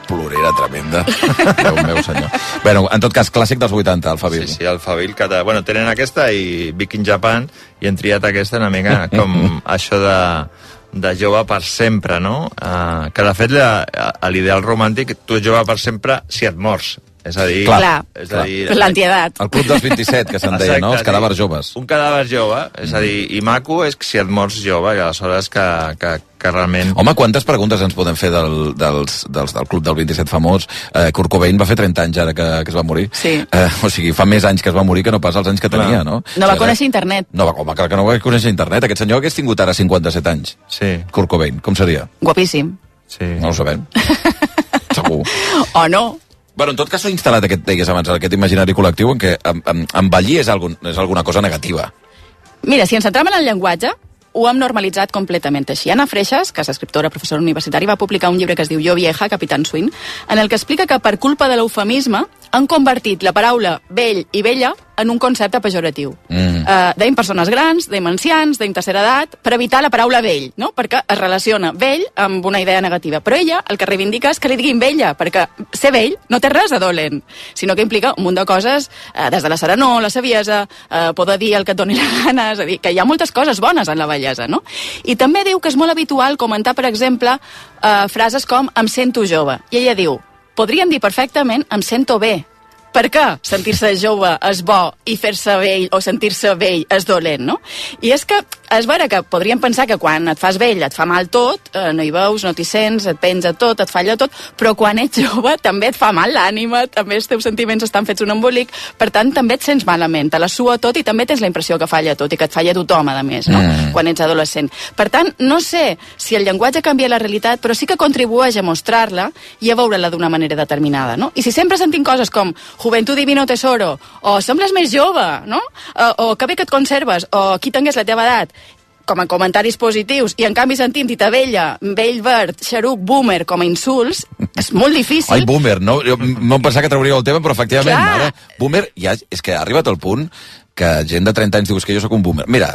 plorera tremenda. Déu meu senyor. Bueno, en tot cas, clàssic dels 80, Alphaville. Sí, Alphaville, que bueno, tenen aquesta i Big in Japan, i han triat aquesta una mica com això de jove per sempre, no? Que de fet l'ideal romàntic, tu ets jove per sempre si et mors. És a dir... Clar. L'antiedat. El club dels 27, que se'n deia, no? Els cadàvers joves. Un cadàver jove, és a dir, i maco és si et mors jove, i aleshores que realment... Home, quantes preguntes ens podem fer del club del 27 famós? Kurt Cobain va fer 30 anys ara que es va morir. Sí. O sigui, fa més anys que es va morir que no pas els anys que tenia, no? No va conèixer internet. No, home, clar que no va conèixer internet. Aquest senyor hagués tingut ara 57 anys. Sí. Kurt Cobain, com seria? Guapíssim. Sí. No ho sabem. Segur. O no. Bueno, en tot cas s'ha instal·lat aquest imaginari col·lectiu en què envellir és alguna cosa negativa. Mira, si ens centrem en el llenguatge, ho hem normalitzat completament així. Anna Freixas, que és escriptora, professora universitària, va publicar un llibre que es diu Jo vieja, Capitán Swing, en el que explica que per culpa de l'eufemisme han convertit la paraula vell i vella en un concepte pejoratiu. Deim persones grans, deim ancians, deim tercera edat, per evitar la paraula vell, no? Perquè es relaciona vell amb una idea negativa. Però ella el que reivindica és que li diguin vella, perquè ser vell no té res de dolent, sinó que implica un munt de coses, des de la serenor, la saviesa, poder dir el que et doni la gana, és a dir, que hi ha moltes coses bones en la bellesa, no? I també diu que és molt habitual comentar, per exemple, frases com em sento jove. I ella diu, podríem dir perfectament em sento bé. Per què sentir-se jove és bo i fer-se vell o sentir-se vell és dolent, no? I és que és vera que podríem pensar que quan et fas vell et fa mal tot, no hi veus, no t'hi sents, et penja tot, et falla tot, però quan ets jove també et fa mal l'ànima, també els teus sentiments estan fets un embolic, per tant també et sents malament, te la sua tot i també tens la impressió que falla tot i que et falla tothom, a més, no? Quan ets adolescent. Per tant, no sé si el llenguatge canvia la realitat, però sí que contribueix a mostrar-la i a veure-la d'una manera determinada, no? I si sempre sentim coses com Juventud divino tesoro, o sembles més jove, no? O que bé que et conserves, o qui tingués la teva edat, com a comentaris positius, i en canvi sentim Tita Vella, vell verd, xaruc, boomer, com a insults, és molt difícil. Ai, boomer, no? Jo no em pensava que trauríeu el tema, però efectivament, ara, boomer, ja, és que ha arribat al punt que gent de 30 anys diu que jo sóc un boomer. Mira,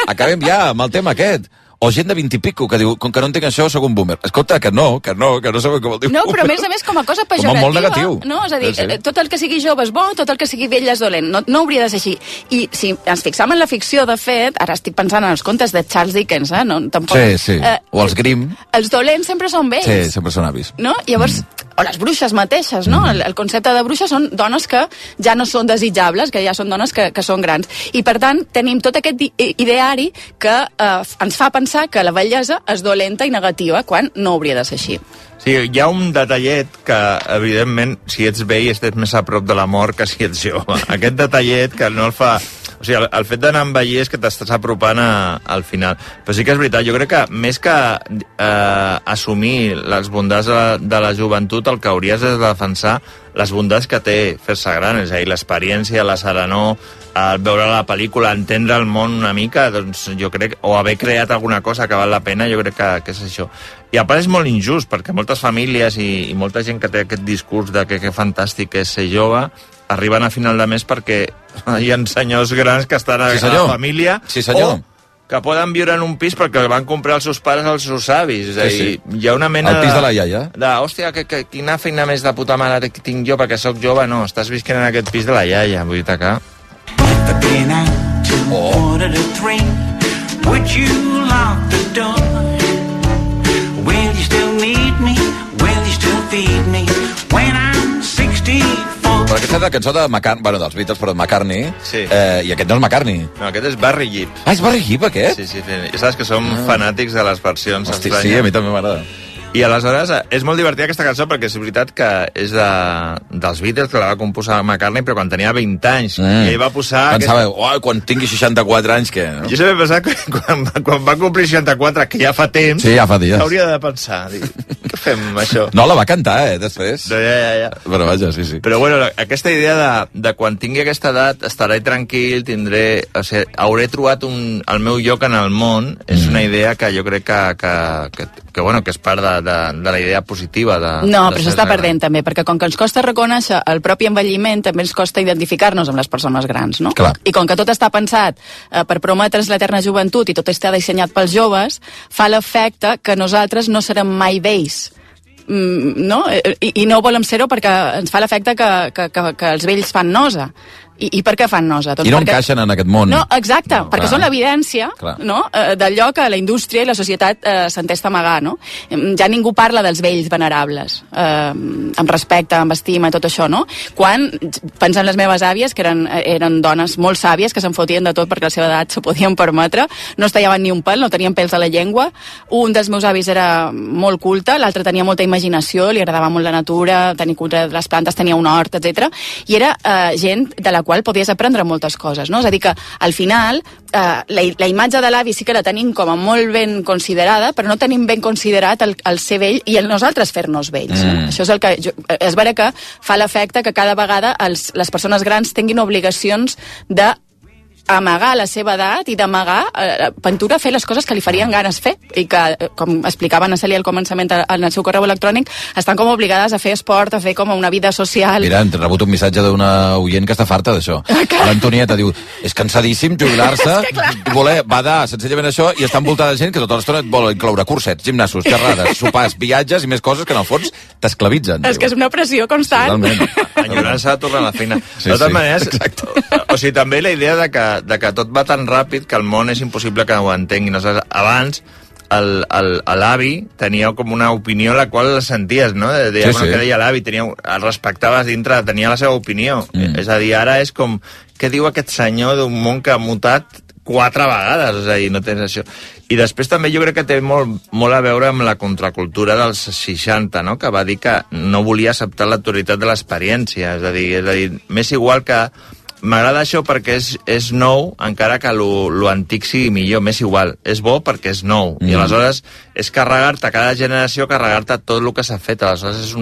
acabem ja amb el tema aquest. O gent de 20 i pico que diu, com que no entenc això, sóc un boomer. Escolta, que no sabeu com el diu. No, però a més com a cosa pejorativa. Com a molt negatiu. No, és a dir, tot el que sigui jove és bo, tot el que sigui vell és dolent. No hauria de ser així. I si ens fixam en la ficció, de fet, ara estic pensant en els contes de Charles Dickens, no? Tampoc, sí. O els Grimm. Els dolents sempre són vells. Sí, sempre són avis. No? Llavors, o les bruixes mateixes, no? El concepte de bruixa són dones que ja no són desitjables, que ja són dones que són grans. I, per tant, tenim tot aquest ideari que ens fa pensar que la bellesa és dolenta i negativa, quan no hauria de ser així. Sí, hi ha un detallet que, evidentment, si ets vell estàs més a prop de la mort que si ets jove. Aquest detallet que no el fa... O sigui, el fet d'anar a envellir és que t'estàs apropant al final. Però sí que és veritat, jo crec que més que assumir les bondats de la joventut, el que hauries de defensar les bondats que té fer-se gran, és a dir, l'experiència, la serenor, el veure la pel·lícula, entendre el món una mica, doncs jo crec, o haver creat alguna cosa que val la pena, jo crec que és això. I a part és molt injust, perquè moltes famílies i molta gent que té aquest discurs de que fantàstic és ser jove, arriben a final de mes perquè hi ha senyors grans que estan a la família, o que poden viure en un pis perquè van comprar els seus pares als seus avis. És a dir, hi ha una mena el pis de la iaia. Hòstia, quina feina més de puta mare tinc jo perquè sóc jove. No, estàs visquent en aquest pis de la iaia, vull dir que... Would you lock the door? Will you still need me? Will you still feed me? When I'm 64. Però aquesta és la cançó de McCartney, bueno, dels Beatles, però de McCartney, i aquest no és McCartney. No, aquest és Barry Gibb. Ah, és Barry Gibb, aquest? Sí, ja saps que som fanàtics de les versions estranyes. Sí, a mi també m'agrada. I aleshores és molt divertida aquesta cançó perquè és veritat que és dels Beatles, que la va composar McCartney, però quan tenia 20 anys. I ell va posar... Pensava, quan tingui 64 anys, què? No? Jo sempre he pensat que quan va complir 64, que ja fa temps, sí, ja fa dies, hauria de pensar, què fem amb això? No, la va cantar, després. No, ja. Però vaja, sí. Però bueno, aquesta idea de quan tingui aquesta edat estaré tranquil, hauré trobat el meu lloc en el món, és una idea que jo crec que és part de la idea positiva. No, però s'està perdent també, perquè com que ens costa reconèixer el propi envelliment, també ens costa identificar-nos amb les persones grans, no? Clar. I com que tot està pensat per prometre's l'eterna joventut i tot està dissenyat pels joves, fa l'efecte que nosaltres no serem mai vells. no? I no volem ser-ho perquè ens fa l'efecte que els vells fan nosa. I per què fan nosa? Doncs I no encaixen en aquest món. No, exacte, perquè són l'evidència, no? D'allò que la indústria i la societat s'entesta a amagar, no? Ja ningú parla dels vells venerables, amb respecte, amb estima i tot això, no? Quan, pensant les meves àvies, que eren dones molt sàvies, que se'n fotien de tot perquè a la seva edat s'ho podien permetre, no es tallaven ni un pèl, no tenien pèls a la llengua, un dels meus avis era molt culte, l'altre tenia molta imaginació, li agradava molt la natura, tenir cura de les plantes, tenia un hort, etc. I era gent de la qual podies aprendre moltes coses, no? És a dir que, al final, la imatge de l'avi sí que la tenim com a molt ben considerada, però no tenim ben considerat el ser vell i el nosaltres fer-nos vells. Això és el que... És vera que fa l'efecte que cada vegada les persones grans tinguin obligacions de amagar la seva edat i d'amagar Pintura fer les coses que li farien ganes fer i que, com explicava Ana Cèlia al començament en el seu correu electrònic, estan com obligades a fer esport, a fer com una vida social. Mira, hem rebut un missatge d'una oient que està farta d'això. L'Antonieta diu, és cansadíssim jubilar-se i voler badar senzillament això i està envoltada de gent que tota l'estona et vol incloure cursets, gimnasos, xerrades, sopars, viatges i més coses que en el fons t'esclavitzen. És que és una pressió constant. Enyorant-se de tornar a la feina. De totes maneres, o sigui, també la idea de que tot va tan ràpid que el món és impossible que ho entenguin. Abans, l'avi tenia com una opinió la qual la senties, no? Que deia l'avi, el respectaves dintre, tenia la seva opinió. És a dir, ara és com, què diu aquest senyor d'un món que ha mutat 4 vegades? És a dir, no tens això. I després també jo crec que té molt a veure amb la contracultura dels 60, no? Que va dir que no volia acceptar l'autoritat de l'experiència. És a dir, m'és igual que... M'agrada això perquè és nou, encara que lo antic sigui millor, m'és igual. És bo perquè és nou. I aleshores és carregar-te, cada generació, carregar-te tot el que s'ha fet. Aleshores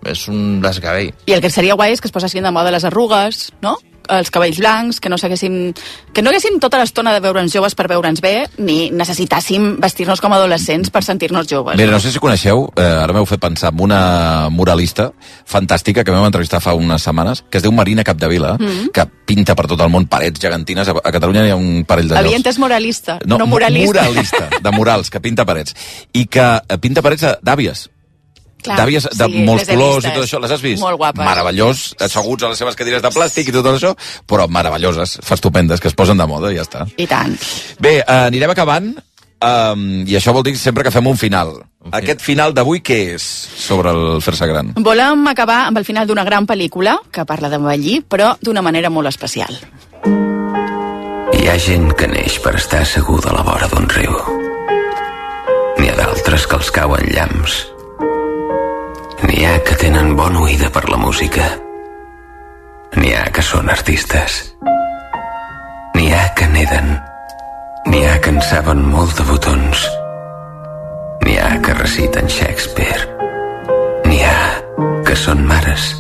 és un desgavell. I el que seria guai és que es posessin de moda les arrugues, no? Els cabells blancs, que no haguéssim tota l'estona de veure'ns joves per veure'ns bé, ni necessitàssim vestir-nos com adolescents per sentir-nos joves. Mira, no sé si coneixeu, ara m'heu fet pensar en una muralista fantàstica que vam entrevistar fa unes setmanes, que es diu Marina Capdevila, que pinta per tot el món parets gegantines. A Catalunya hi ha un parell de llocs. Havia entès moralista, no muralista. Muralista, de murals, que pinta parets. I que pinta parets d'àvies. D'àvies de molts colors i tot això, les has vist? Molt guapes. Meravellós, asseguts a les seves cadires de plàstic i tot això, però meravelloses, estupendes, que es posen de moda i ja està. I tant. Bé, anirem acabant, i això vol dir sempre que fem un final. Aquest final d'avui què és sobre el fer-se gran? Volem acabar amb el final d'una gran pel·lícula que parla d'envellir, però d'una manera molt especial. Hi ha gent que neix per estar assegut a la vora d'un riu. N'hi ha d'altres que els cauen llamps. N'hi ha que tenen bona oïda per la música. N'hi ha que són artistes. N'hi ha que neden. N'hi ha que en saben molt de botons. N'hi ha que reciten Shakespeare. N'hi ha que són mares.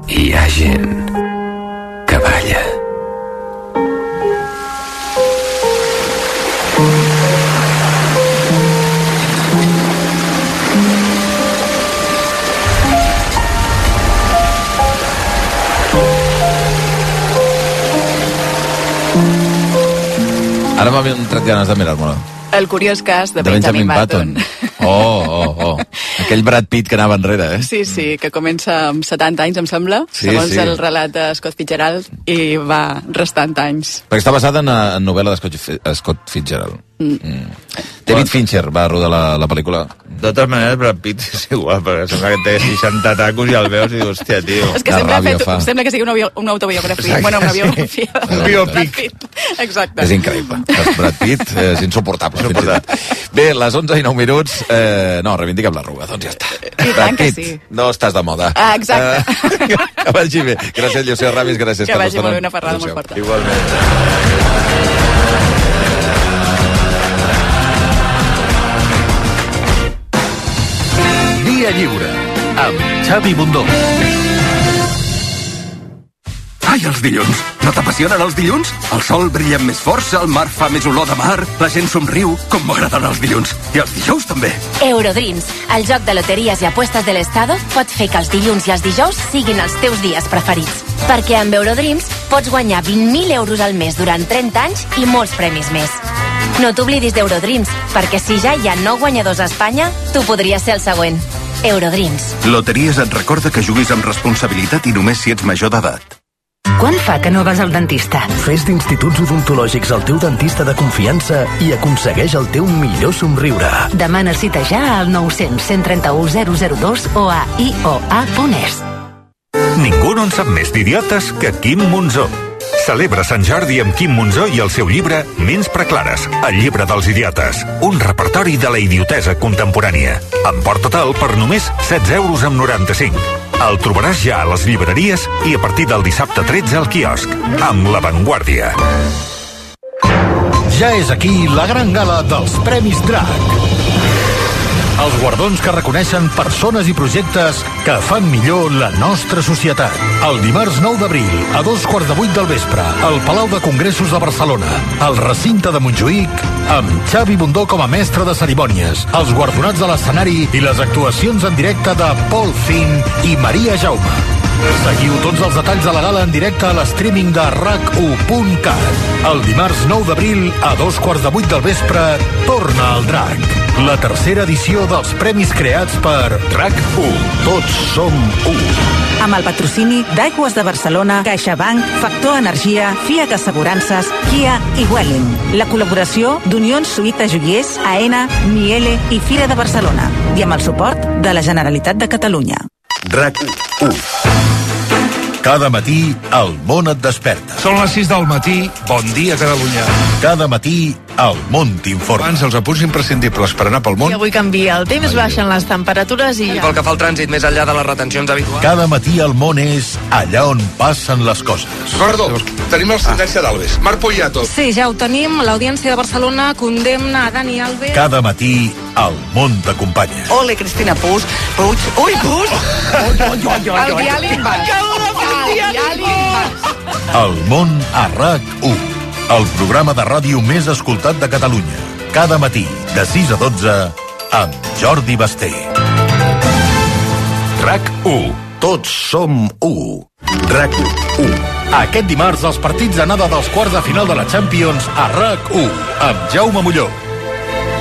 I hi ha gent que balla. Ara m'ha entrat ganes de mirar-me-la. El curiós cas de Benjamin Button. Oh. Aquell Brad Pitt que anava enrere, eh? Sí, que comença amb 70 anys, em sembla, segons el relat de Scott Fitzgerald, i va restant anys. Perquè està basada en novel·la de Scott Fitzgerald. David Fincher va rodar la pel·lícula. De totes maneres, Brad Pitt és igual, perquè sembla que té 60 tacos i el veus i dius, hòstia, tio. És que sembla que sigui una autobiografia. Bueno, una biografia. Un biòpic. Exacte. És increïble. Brad Pitt és insuportable. Bé, les 11 i 9 minuts, no, reivindiquem l'arruga, doncs ja està. Brad Pitt, no estàs de moda. Exacte. Que vagi bé. Gràcies, Llucia Ramis, gràcies. Que vagi molt bé, una ferrada molt forta. Igualment. Dia lliure, amb Xavi Bundó. Ai, els dilluns! No t'apassionen els dilluns? El sol brilla amb més força, el mar fa més olor de mar, la gent somriu, com m'agraden els dilluns. I els dijous també. Eurodreams, el joc de loteries i apuestes de l'Estado, pot fer que els dilluns i els dijous siguin els teus dies preferits. Perquè amb Eurodreams pots guanyar 20.000 euros al mes durant 30 anys i molts premis més. No t'oblidis d'Eurodreams, perquè si ja hi ha 9 guanyadors a Espanya, tu podries ser el següent. Eurodreams. Loteries et recorda que juguis amb responsabilitat i només si ets major d'edat. Quan fa que no vas al dentista? Fes d'instituts odontològics el teu dentista de confiança i aconsegueix el teu millor somriure. Demana cita ja al 900 131 002 o a ioa.es. Ningú no en sap més d'idiotes que Quim Monzó. Celebra Sant Jordi amb Quim Monzó i el seu llibre Ments preclares, el llibre dels idiotes. Un repertori de la idiotesa contemporània. Emporta-te'l per només 16,95 €. El trobaràs ja a les llibreries i a partir del dissabte 13 al quiosc, amb La Vanguardia. Ja és aquí la gran gala dels Premis DRAC. Els guardons que reconeixen persones i projectes que fan millor la nostra societat. El dimarts 9 d'abril, a 7:15 del vespre, al Palau de Congressos de Barcelona, al recinte de Montjuïc, amb Xavi Bundó com a mestre de cerimònies, els guardonats de l'escenari i les actuacions en directe de Paul Finn i Maria Jaume. Seguiu tots els detalls de la gala en directe a l'streaming de RAC1.cat. El dimarts 9 d'abril, a 7:15 del vespre, torna el DRAC. La tercera edició dels premis creats per RAC1. Tots som u. Amb el patrocini d'Aigües de Barcelona, CaixaBank, Factor Energia, FIAC Assegurances, Kia i Welling. La col·laboració d'Unions Suïta Joiers, AENA, Miele i Fira de Barcelona. I amb el suport de la Generalitat de Catalunya. RAC1. Cada matí el món et desperta. Són les 6 del matí, bon dia Catalunya. Cada matí el món t'informa. Abans els apunts imprescindibles per anar pel món. I avui canvia el temps, baixen les temperatures i ja. Pel que fa al trànsit, més enllà de les retencions habituals. Cada matí el món és allà on passen les coses. Perdó, tenim la sentència d'Alves. Marc Poyato. Sí, ja ho tenim. L'Audiència de Barcelona condemna a Dani Alves. Cada matí el món t'acompanya. Ole, Cristina Puig. Ui, Puig! El diàleg baix. El món a RAC1. El programa de ràdio més escoltat de Catalunya. Cada matí, de 6 a 12, amb Jordi Basté. RAC1. Tots som u. RAC1. Aquest dimarts, els partits d'anada dels quarts de final de la Champions a RAC1, amb Jaume Molló.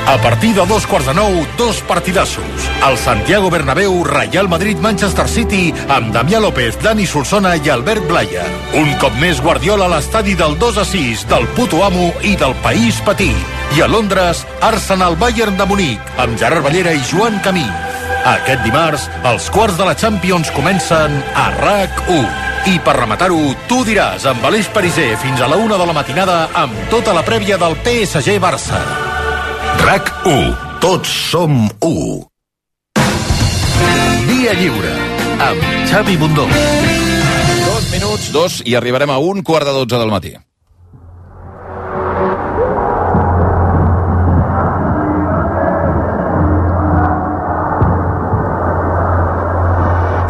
A partir de 8:45, dos partidassos. El Santiago Bernabéu, Real Madrid, Manchester City, amb Damià López, Dani Solsona i Albert Blaya. Un cop més Guardiola a l'estadi del 2-6, del puto amo i del país petit. I a Londres, Arsenal Bayern de Munic, amb Gerard Ballera i Joan Camí. Aquest dimarts, els quarts de la Champions comencen a RAC1. I per rematar-ho, tu diràs amb Aleix Pariser fins a la 1 de la matinada amb tota la prèvia del PSG-Barça. RAC1. Tots som u. Via Lliure, amb Xavi Bundó. 2 minuts, 2, i arribarem a 1:15 del matí.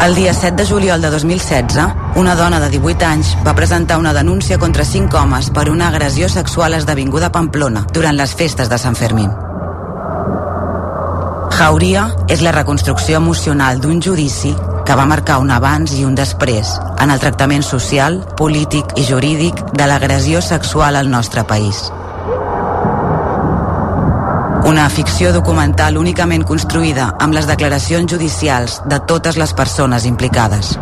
El dia 7 de juliol de 2016, una dona de 18 anys va presentar una denúncia contra 5 homes per una agressió sexual esdevinguda a Pamplona durant les festes de Sant Fermín. Jauria és la reconstrucció emocional d'un judici que va marcar un abans i un després en el tractament social, polític i jurídic de l'agressió sexual al nostre país. Una ficció documental únicament construïda amb les declaracions judicials de totes les persones implicades.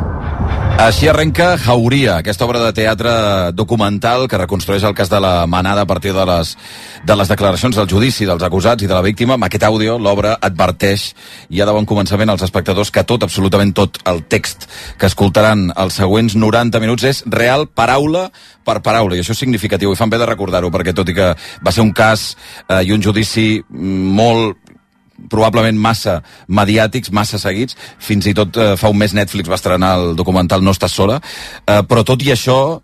Així arrenca Jauria, aquesta obra de teatre documental que reconstrueix el cas de la Manada a partir de les declaracions del judici dels acusats i de la víctima. Amb aquest àudio, l'obra adverteix ja de bon començament als espectadors que tot, absolutament tot, el text que escoltaran els següents 90 minuts és real, paraula per paraula, i això és significatiu, i fan bé de recordar-ho, perquè tot i que va ser un cas i un judici molt probablement massa mediàtics, massa seguits, fins i tot fa un mes Netflix va estrenar el documental No estàs sola, però tot i això,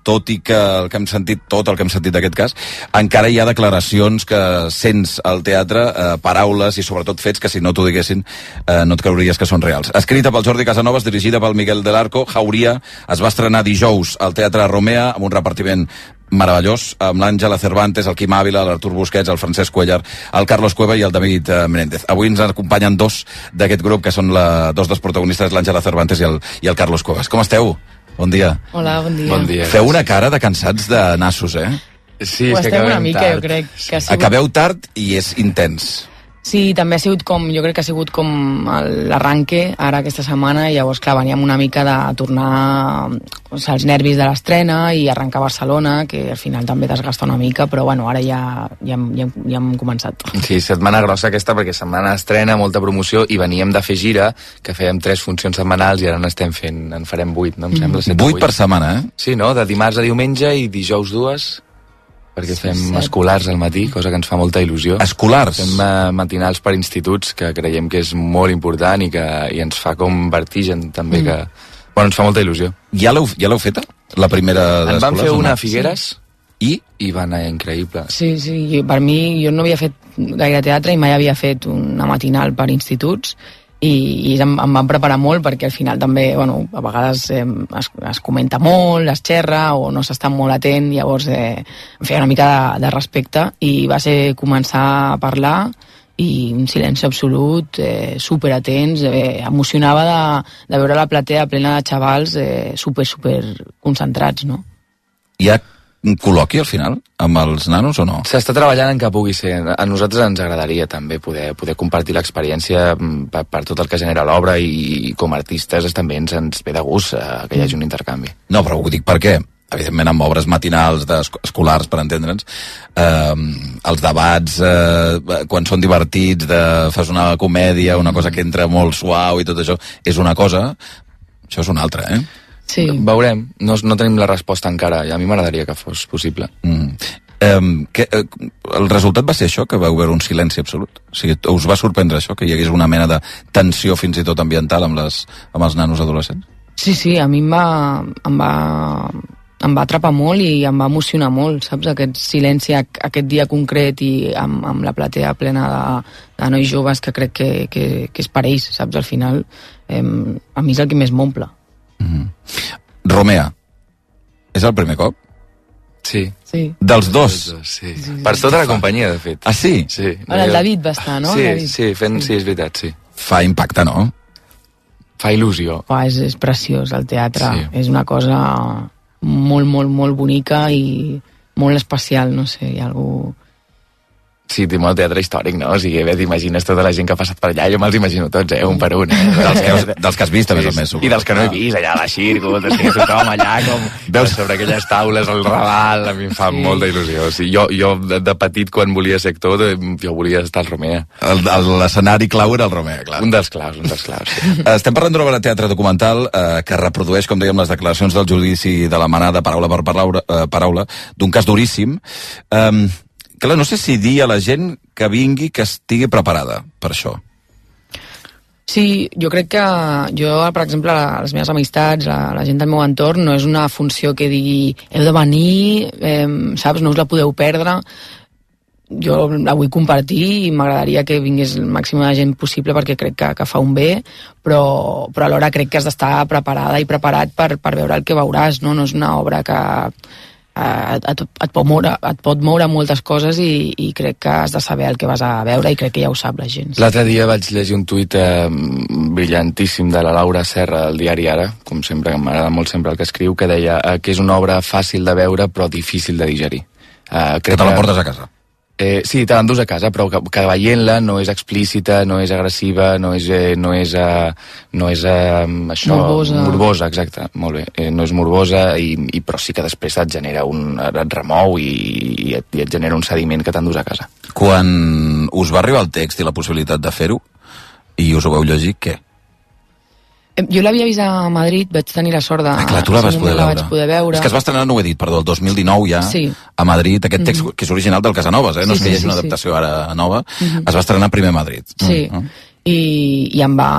tot i que el que hem sentit, tot el que hem sentit d'aquest cas, encara hi ha declaracions que sents al teatre, paraules i sobretot fets que si no t'ho diguessin no et creuries que són reals. Escrita pel Jordi Casanovas, dirigida pel Miguel del Arco, Jauria es va estrenar dijous al Teatre Romea amb un repartiment meravellós, amb l'Àngela Cervantes, el Quim Ávila, l'Artur Busquets, el Francesc Cuellar, el Carlos Cueva i el David Menéndez. Avui ens acompanyen dos d'aquest grup, que són dos dels protagonistes, l'Àngela Cervantes i el Carlos Cuevas. Com esteu? Bon dia. Hola, bon dia. Bon dia. Feu una cara de cansats de nassos, eh? Sí, ho és que estem una acabem mica, tard. jo crec. Que ha sigut... Acabeu tard i és intens. Sí, també ha sigut jo crec que ha sigut com l'arranque ara aquesta setmana, i llavors, clar, veníem una mica de tornar als nervis de l'estrena i arrencar a Barcelona, que al final també desgasta una mica, però bueno, ara ja hem començat. Sí, setmana grossa aquesta, perquè setmana estrena, molta promoció, i veníem de fer gira, que fèiem 3 funcions setmanals i ara en farem 8, no? Em sembla 7 8 per setmana, eh? Sí, no? De dimarts a diumenge i dijous 2, perquè fem escolars al matí, cosa que ens fa molta il·lusió. Escolars? Fem matinals per instituts, que creiem que és molt important i ens fa com vertigen, també, que... Bueno, ens fa molta il·lusió. Ja l'heu feta? La primera d'escolars? En vam fer una a Figueres i va anar increïble. Sí, per mi, jo no havia fet gaire teatre i mai havia fet una matinal per instituts, i em van preparar molt, perquè al final també, bueno, a vegades es comenta molt, es xerra o no s'està molt atent, llavors em feia una mica de respecte, i va ser començar a parlar i un silenci absolut, superatents, emocionava de veure la platea plena de xavals super concentrats, no? Hi ha un col·loqui al final amb els nanos o no? S'està treballant en que pugui ser. A nosaltres ens agradaria també poder compartir l'experiència per tot el que genera l'obra, i com a artistes també ens ve de gust que hi hagi un intercanvi. No, però ho dic perquè evidentment amb obres matinals escolars, per entendre'ns, els debats quan són divertits, fas una comèdia, una cosa que entra molt suau i tot això, és una cosa, això és una altra, eh? Sí. Veurem, no tenim la resposta encara, i a mi m'agradaria que fos possible. El resultat va ser això, que vau veure un silenci absolut? O sigui, us va sorprendre això, que hi hagués una mena de tensió fins i tot ambiental amb els nanos adolescents? Sí, a mi em va atrapar molt i em va emocionar molt, saps? Aquest silenci, aquest dia concret, i amb la platea plena de nois joves, que crec que és per ells, saps? Al final, a mi és el que més m'omple. Romea, és el primer cop? Sí. Dels dos? Sí. Per tota la companyia, de fet. Ah, sí? Sí. El David va estar, no? Sí, és veritat, sí. Fa impacte, no? Fa il·lusió. És preciós, el teatre. Sí. És una cosa molt, molt, molt bonica i molt especial, no sé, hi ha algú... Sí, té molt teatre històric, no? O sigui, t'imagines tota la gent que ha passat per allà, jo me'ls imagino tots, un per un. Dels que has vist, a més a més. I dels que no he vist, allà a la Xirgo, tothom allà, com veus sobre aquelles taules, el Raval, a mi em fa molta il·lusió. O sigui, jo de petit, quan volia ser actor, jo volia estar al Romea. L'escenari clau era el Romea, clar. Un dels claus. Sí. Estem parlant d'una obra de teatre documental que reprodueix, com dèiem, les declaracions del judici de la Manada, paraula per paraula, d'un cas duríssim. Clar, no sé si dir a la gent que vingui, que estigui preparada per això. Sí, jo crec que per exemple, les meves amistats, la gent del meu entorn, no és una funció que digui heu de venir, saps, no us la podeu perdre. Jo la vull compartir i m'agradaria que vingués el màxim de gent possible, perquè crec que fa un bé, però alhora crec que has d'estar preparada i preparat per veure el que veuràs, no? No és una obra que et pot moure moltes coses, i crec que has de saber el que vas a veure, i crec que ja ho sap la gent. L'altre dia vaig llegir un tuit brillantíssim de la Laura Serra del diari Ara, com sempre, que m'agrada molt sempre el que escriu, que deia que és una obra fàcil de veure però difícil de digerir. Que te la portes a casa? Sí, te l'endús a casa, però que veient-la no és explícita, no és agressiva, no és això... Morbosa, exacte, molt bé. No és morbosa, però sí que després et genera et remou i et genera un sediment que t'endús a casa. Quan us va arribar el text i la possibilitat de fer-ho, i us ho vau llegir, què? Jo l'havia vist a Madrid, vaig tenir la sort de... clar, tu la vas poder veure. És que es va estrenar, no ho he dit, perdó, el 2019 ja, sí. A Madrid, aquest text que és original del Casanovas, no és que hi hagi una adaptació ara nova, es va estrenar primer a Madrid. Sí, i em va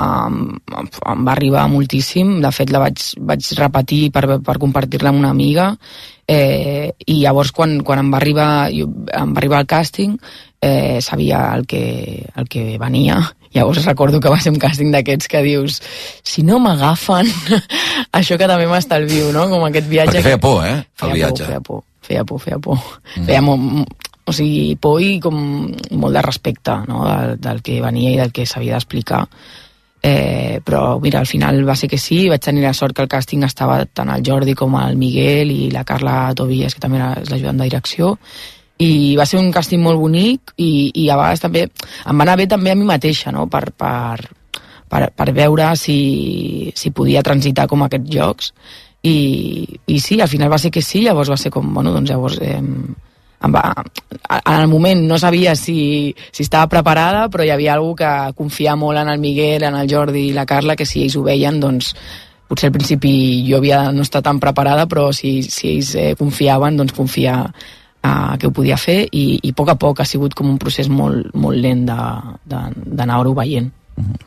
arribar moltíssim, de fet la vaig repetir per compartir-la amb una amiga, i llavors quan em va arribar el càsting, sabia el que venia. Llavors recordo que va ser un càsting d'aquests que dius, si no m'agafen, això que també m'estalvio, no? Com aquest viatge... Perquè feia por, el viatge. Feia por. Feia por i com molt de respecte, no? Del que venia i del que s'havia d'explicar. Però mira, al final va ser que sí, vaig tenir la sort que el càsting estava tant el Jordi com el Miguel i la Carla Tobias, que també és l'ajudant de direcció, i va ser un càsting molt bonic i a vegades també em va anar bé també a mi mateixa, no? per veure si podia transitar com aquests jocs i sí, al final va ser que sí, llavors va ser com, bueno, doncs llavors en el moment no sabia si estava preparada, però hi havia algú que confiava molt en el Miguel, en el Jordi i la Carla, que si ells ho veien, doncs potser al principi jo havia no estat tan preparada, però si ells confiaven, doncs confiar que ho podia fer i a poc ha sigut com un procés molt, molt lent d'anar-ho veient.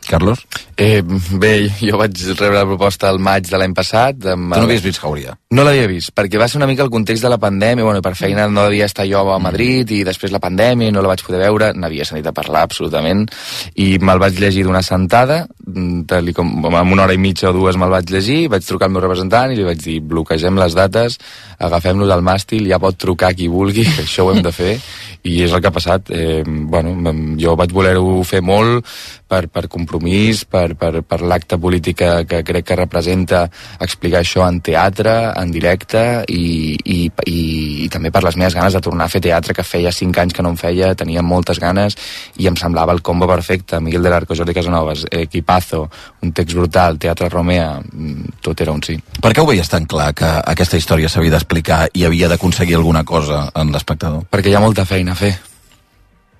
Carlos? Bé, jo vaig rebre la proposta al maig de l'any passat. Tu no havies vist Jauria? No l'havia vist, perquè va ser una mica el context de la pandèmia, bueno, per feina no devia estar jo a Madrid i després la pandèmia no la vaig poder veure, n'havia sentit a parlar absolutament, i me'l vaig llegir d'una sentada, en una hora i mitja o dues me'l vaig llegir, vaig trucar al meu representant i li vaig dir, bloquegem les dates, agafem-nos al màstil, ja pot trucar qui vulgui, que això ho hem de fer, i és el que ha passat. Jo vaig voler-ho fer molt per compromís, per l'acte polític que crec que representa explicar això en teatre, en directe i també per les meves ganes de tornar a fer teatre, que feia 5 anys que no en feia, tenia moltes ganes i em semblava el combo perfecte. Miguel del Arco, Jordi Casanovas, equipazo, un text brutal, Teatre Romea, tot era un sí. Per què ho veies tan clar que aquesta història s'havia d'explicar i havia d'aconseguir alguna cosa en l'espectador? Perquè hi ha molta feina a fer.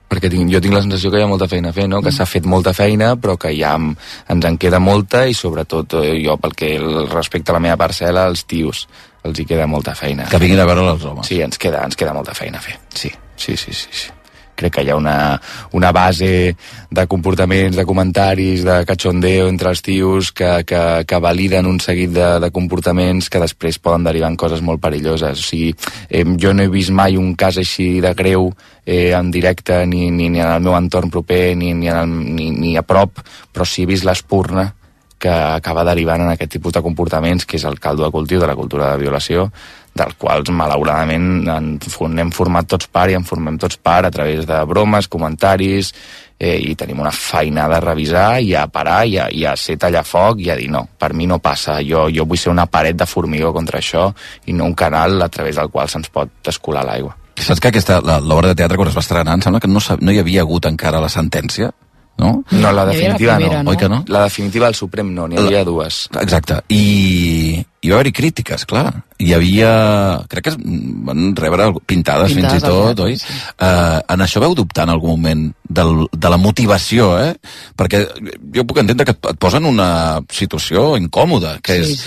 Perquè jo tinc la sensació que hi ha molta feina a fer, no? Que s'ha fet molta feina, però que ja ens en queda molta i sobretot jo, pel que respecte a la meva parcel·la, els tios, els hi queda molta feina. Que vinguin a veure els homes. Sí, ens queda molta feina a fer, sí. Crec que hi ha una base de comportaments, de comentaris, de cachondeo entre els tios que validen un seguit de comportaments que després poden derivar en coses molt perilloses. O sigui, jo no he vist mai un cas així de greu en directe, ni en el meu entorn proper, ni a prop, però sí he vist l'espurna que acaba derivant en aquest tipus de comportaments, que és el caldo de cultiu de la cultura de violació, dels quals malauradament n'hem format tots part i en formem tots part a través de bromes, comentaris, i tenim una feina de revisar i a parar i a ser tallafoc i a dir no, per mi no passa, jo vull ser una paret de formigó contra això i no un canal a través del qual se'ns pot escolar l'aigua. Saps que l'obra de teatre quan es va estrenar em sembla que no hi havia hagut encara la sentència? No? No, la definitiva primera, no. Oi que no? La definitiva al Suprem no, n'hi havia dues. Exacte. I hi va haver crítiques, clar. Hi havia... Crec que van rebre pintades fins i tot, oi? Sí. En això vau dubtar en algun moment de la motivació, Perquè jo puc entendre que et posen una situació incòmoda, que és...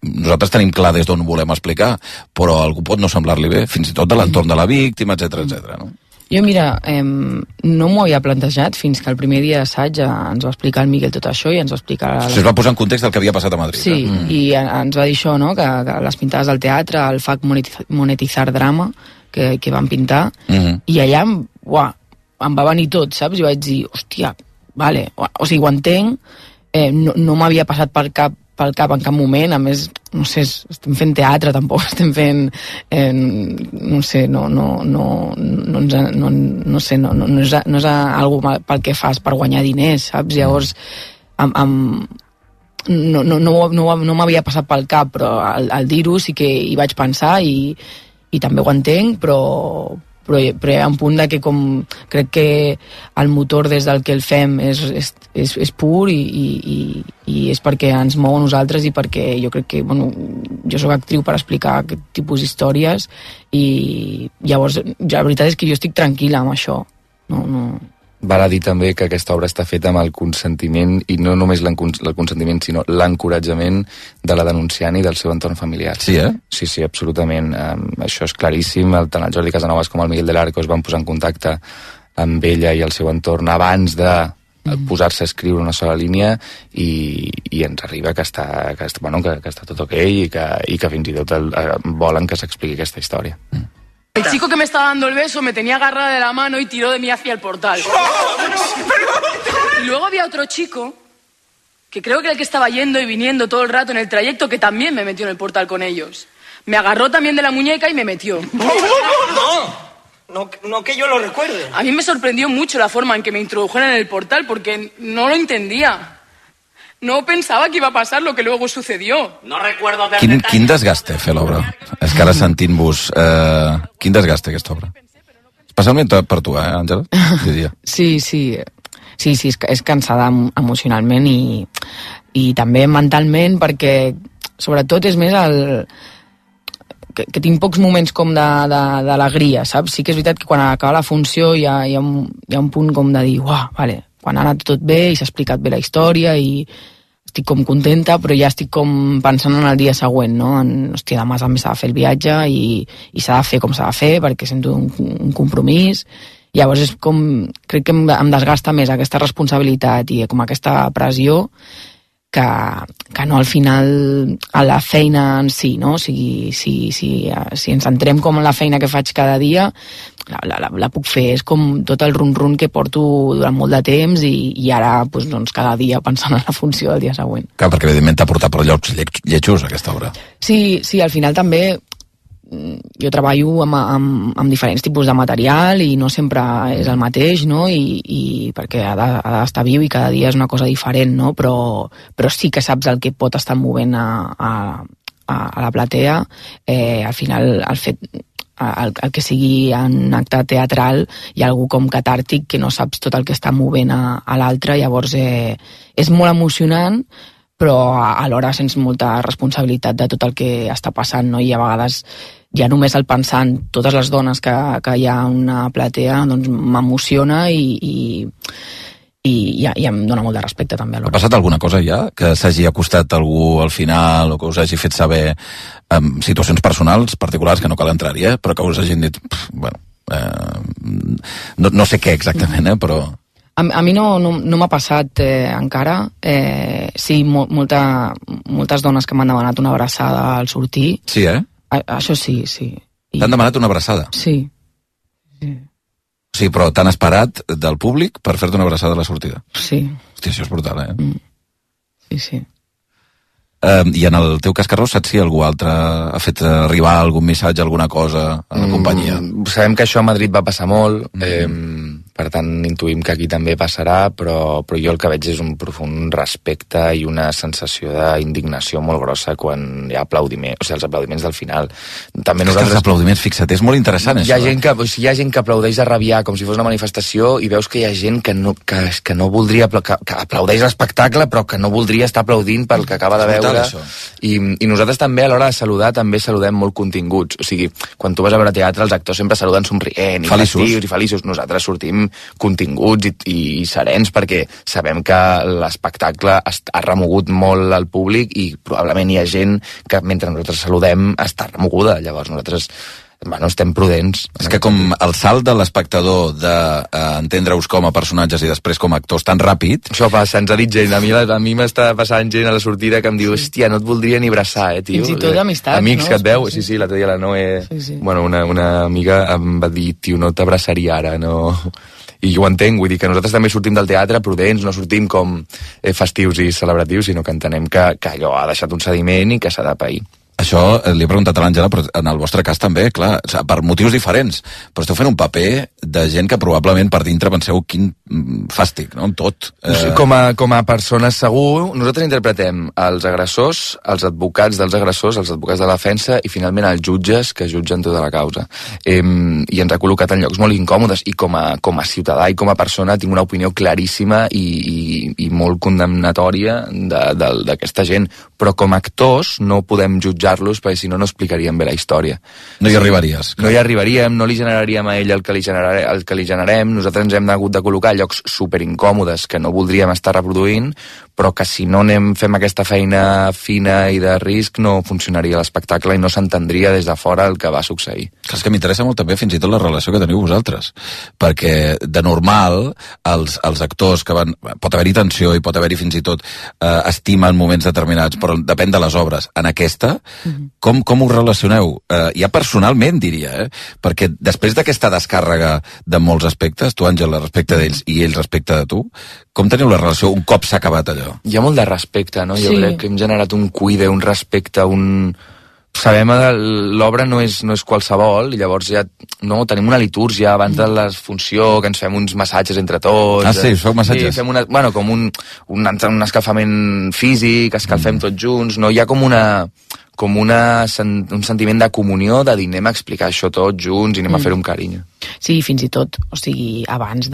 Nosaltres tenim clar des d'on volem explicar, però algú pot no semblar-li bé, fins i tot de l'entorn de la víctima, etc, no? Jo, mira, no m'ho havia plantejat fins que el primer dia d'assaig ens va explicar el Miguel tot això i ens va explicar... Es va posar en context del que havia passat a Madrid. Sí, i ens va dir això, no?, que les pintades del teatre, el FAC Monetizar Drama, que van pintar, i allà, em va venir tot, saps? I vaig dir, hòstia, vale, o sigui, ho entenc, no m'havia passat pel cap en cap moment, a més, no sé, estem fent teatre, tampoc estem fent, no sé, no és algo pel que fas per guanyar diners, saps? Llavors, no m'havia passat pel cap, però al dir-ho sí que hi vaig pensar i també ho entenc, però hi ha un punt de que crec que el motor des del que el fem és pur i és perquè ens mou a nosaltres i perquè jo crec que, jo soc actriu per explicar aquest tipus d'històries i llavors la veritat és que jo estic tranquil·la amb això. Val a dir també que aquesta obra està feta amb el consentiment, i no només el consentiment, sinó l'encoratjament de la denunciant i del seu entorn familiar. Sí, Sí, absolutament. Això és claríssim. Tant el Jordi Casanovas com el Miguel del Arco es van posar en contacte amb ella i el seu entorn abans de posar-se a escriure una sola línia i ens arriba que està tot ok i que fins i tot volen que s'expliqui aquesta història. El chico que me estaba dando el beso me tenía agarrada de la mano y tiró de mí hacia el portal. Y luego había otro chico, que creo que era el que estaba yendo y viniendo todo el rato en el trayecto, que también me metió en el portal con ellos. Me agarró también de la muñeca y me metió. No que yo lo recuerde. A mí me sorprendió mucho la forma en que me introdujeron en el portal, porque no lo entendía. No pensaba que iba a pasar lo que luego sucedió. No recuerdo haber... Quin desgast té fer l'obra? És que ara sentint-vos... quin desgast té aquesta obra? Especialment per tu, Àngela? Diria. Sí, és cansada emocionalment i també mentalment, perquè sobretot és més que tinc pocs moments com d'alegria, saps? Sí que és veritat que quan acaba la funció hi ha un punt com de dir, vale, quan ha anat tot bé i s'ha explicat bé la història i estic com contenta, però ja estic com pensant en el dia següent, no? Hòstia, demà també s'ha de fer el viatge i s'ha de fer com s'ha de fer perquè sento un compromís. Llavors és com, crec que em desgasta més aquesta responsabilitat i com aquesta pressió que no al final a la feina en si, no? O sigui, si ens centrem com en la feina que faig cada dia, la puc fer. És com tot el run-run que porto durant molt de temps i ara doncs, cada dia pensant en la funció del dia següent. Clar, perquè evidentment t'ha portat per llocs lletjos aquesta obra. Sí, al final també jo treballo amb diferents tipus de material i no sempre és el mateix, no? I perquè ha d'estar viu i cada dia és una cosa diferent, no? Però sí que saps el que pot estar movent a la platea. Al final el que sigui un acte teatral hi ha algú com catàrtic que no saps tot el que està movent a l'altre, llavors és molt emocionant, però alhora sents molta responsabilitat de tot el que està passant, no? I a vegades ja només el pensar en totes les dones que hi ha a una platea doncs m'emociona i em dona molt de respecte també alhora. Ha passat alguna cosa ja? Que s'hagi acostat algú al final o que us hagi fet saber situacions personals particulars que no cal entrar-hi, però que us hagin dit no sé què exactament, però... A mi no m'ha passat encara. Sí, moltes dones que m'han demanat una abraçada al sortir. Sí, Això sí. T'han demanat una abraçada? Sí. Sí, però t'han esperat del públic per fer-te una abraçada a la sortida? Sí. Hòstia, això és brutal, Sí. I en el teu cas, Carlos, saps si algú altre ha fet arribar algun missatge, alguna cosa a la companyia? Sabem que això a Madrid va passar molt, per tant intuïm que aquí també passarà, però jo el que veig és un profund respecte i una sensació d'indignació molt grossa quan hi ha aplaudiments, o sigui, els aplaudiments del final. També nosaltres... Els aplaudiments, fixa't, és molt interessant hi ha gent que aplaudeix a rabiar com si fos una manifestació i veus que hi ha gent que no voldria que aplaudeix l'espectacle però que no voldria estar aplaudint pel que acaba de veure. I nosaltres també a l'hora de saludar també saludem molt continguts, o sigui, quan tu vas a veure teatre els actors sempre saluden somrient i festius i feliços, nosaltres sortim continguts i serens perquè sabem que l'espectacle ha remogut molt al públic i probablement hi ha gent que mentre nosaltres saludem està remoguda, llavors nosaltres estem prudents. És que com el salt de l'espectador d'entendre-us com a personatges i després com a actors tan ràpid... Això passa, ens ha dit gent. A mi m'està passant gent a la sortida que em diu hòstia, no et voldria ni abraçar, tio. Fins i tot d'amistats, amics que et veu, sí, l'altre dia la Noé... Bueno, una amiga em va dir, tio, no t'abraçaria ara, no... I jo ho entenc, vull dir que nosaltres també sortim del teatre prudents, no sortim com festius i celebratius, sinó que entenem que allò ha deixat un sediment i que s'ha de pair. Això li he preguntat a l'Àngela, però en el vostre cas també, clar, per motius diferents, però esteu fent un paper de gent que probablement per dintre penseu quin fàstic, no? Tot. Com a persones segur, nosaltres interpretem els agressors, els advocats dels agressors, els advocats de la defensa i finalment els jutges que jutgen tota la causa. I ens ha col·locat en llocs molt incòmodes i com a ciutadà i com a persona tinc una opinió claríssima i molt condemnatòria d'aquesta gent, però com a actors no podem jutjar-los perquè si no explicaríem bé la història. No hi arribaries. No hi arribaríem, no li generaríem a ell el que li generarem, nosaltres ens hem hagut de col·locar a llocs superincòmodes que no voldríem estar reproduint, però que si no fem aquesta feina fina i de risc no funcionaria l'espectacle i no s'entendria des de fora el que va succeir. És que m'interessa molt també fins i tot la relació que teniu vosaltres, perquè de normal els actors que van... Pot haver-hi tensió i pot haver-hi fins i tot estima en moments determinats, però depèn de les obres. En aquesta, com us relacioneu? Ja personalment, diria, perquè després d'aquesta descàrrega de molts aspectes, tu, Àngela, respecte d'ells i ells respecte de tu, com teniu la relació un cop s'ha acabat allò? Hi ha molt de respecte, no? Jo crec que hem generat un cuide, un respecte, sabem que l'obra no és qualsevol, i llavors ja tenim una litúrgia abans de la funció, que ens fem uns massatges entre tots. Ah, sí, feu massatges? Sí, fem com un escalfament físic, escalfem tots junts, no? Hi ha com un sentiment de comunió, de dir, anem a explicar això tots junts i anem a fer-ho amb carinyo. Sí, fins i tot, abans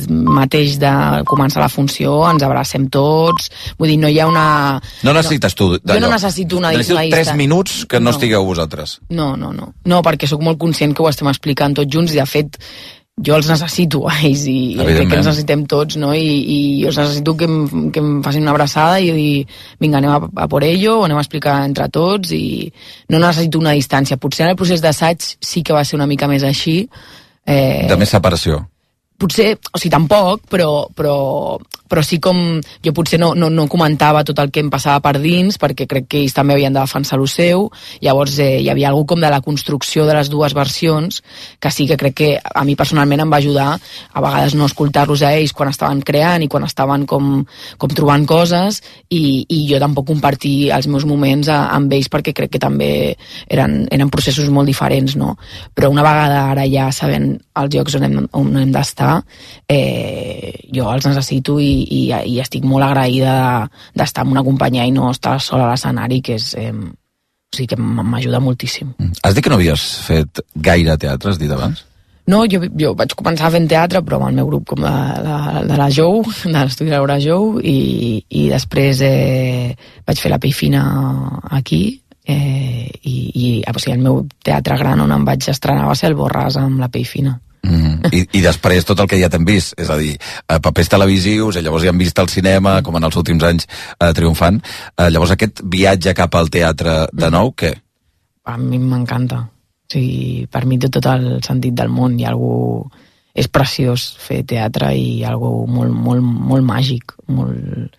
mateix de començar la funció ens abracem tots, vull dir, no hi ha una... No necessites tu d'allò. Jo no necessito una Necessito 3 minuts que no estigueu vosaltres. No, perquè sóc molt conscient que ho estem explicant tots junts i, de fet, jo els necessito a ells i crec que ens necessitem tots, no? I jo necessito que em facin una abraçada i dir, vinga, anem a por ello, anem a explicar entre tots, i no necessito una distància. Potser en el procés d'assaig sí que va ser una mica més així. De més separació. Potser, tampoc, però sí com... Jo potser no comentava tot el que em passava per dins, perquè crec que ells també havien de defensar lo seu. Llavors hi havia alguna com de la construcció de les dues versions, que sí que crec que a mi personalment em va ajudar a vegades no escoltar-los a ells quan estaven creant i quan estaven com trobant coses, i jo tampoc compartir els meus moments amb ells, perquè crec que també eren processos molt diferents, no? Però una vegada ara ja sabent els llocs on hem d'estar, jo els necessito i estic molt agraïda d'estar amb una companyia i no estar sola a l'escenari, que que m'ajuda moltíssim. Has dit que no havies fet gaire teatre, has dit abans? No, jo vaig començar fent teatre, però amb el meu grup com de la Jou, de l'estudi de l'Hora Jou, i després vaig fer la Pell Fina aquí, i el meu teatre gran on em vaig estrenar va ser el Borràs amb la Pell Fina. I després tot el que ja t'hem vist, és a dir, papers televisius, llavors ja hem vist al cinema, com en els últims anys, triomfant. Llavors aquest viatge cap al teatre de nou, què? A mi m'encanta. Per mi té tot el sentit del món. És preciós fer teatre i algo molt, molt, molt màgic, molt,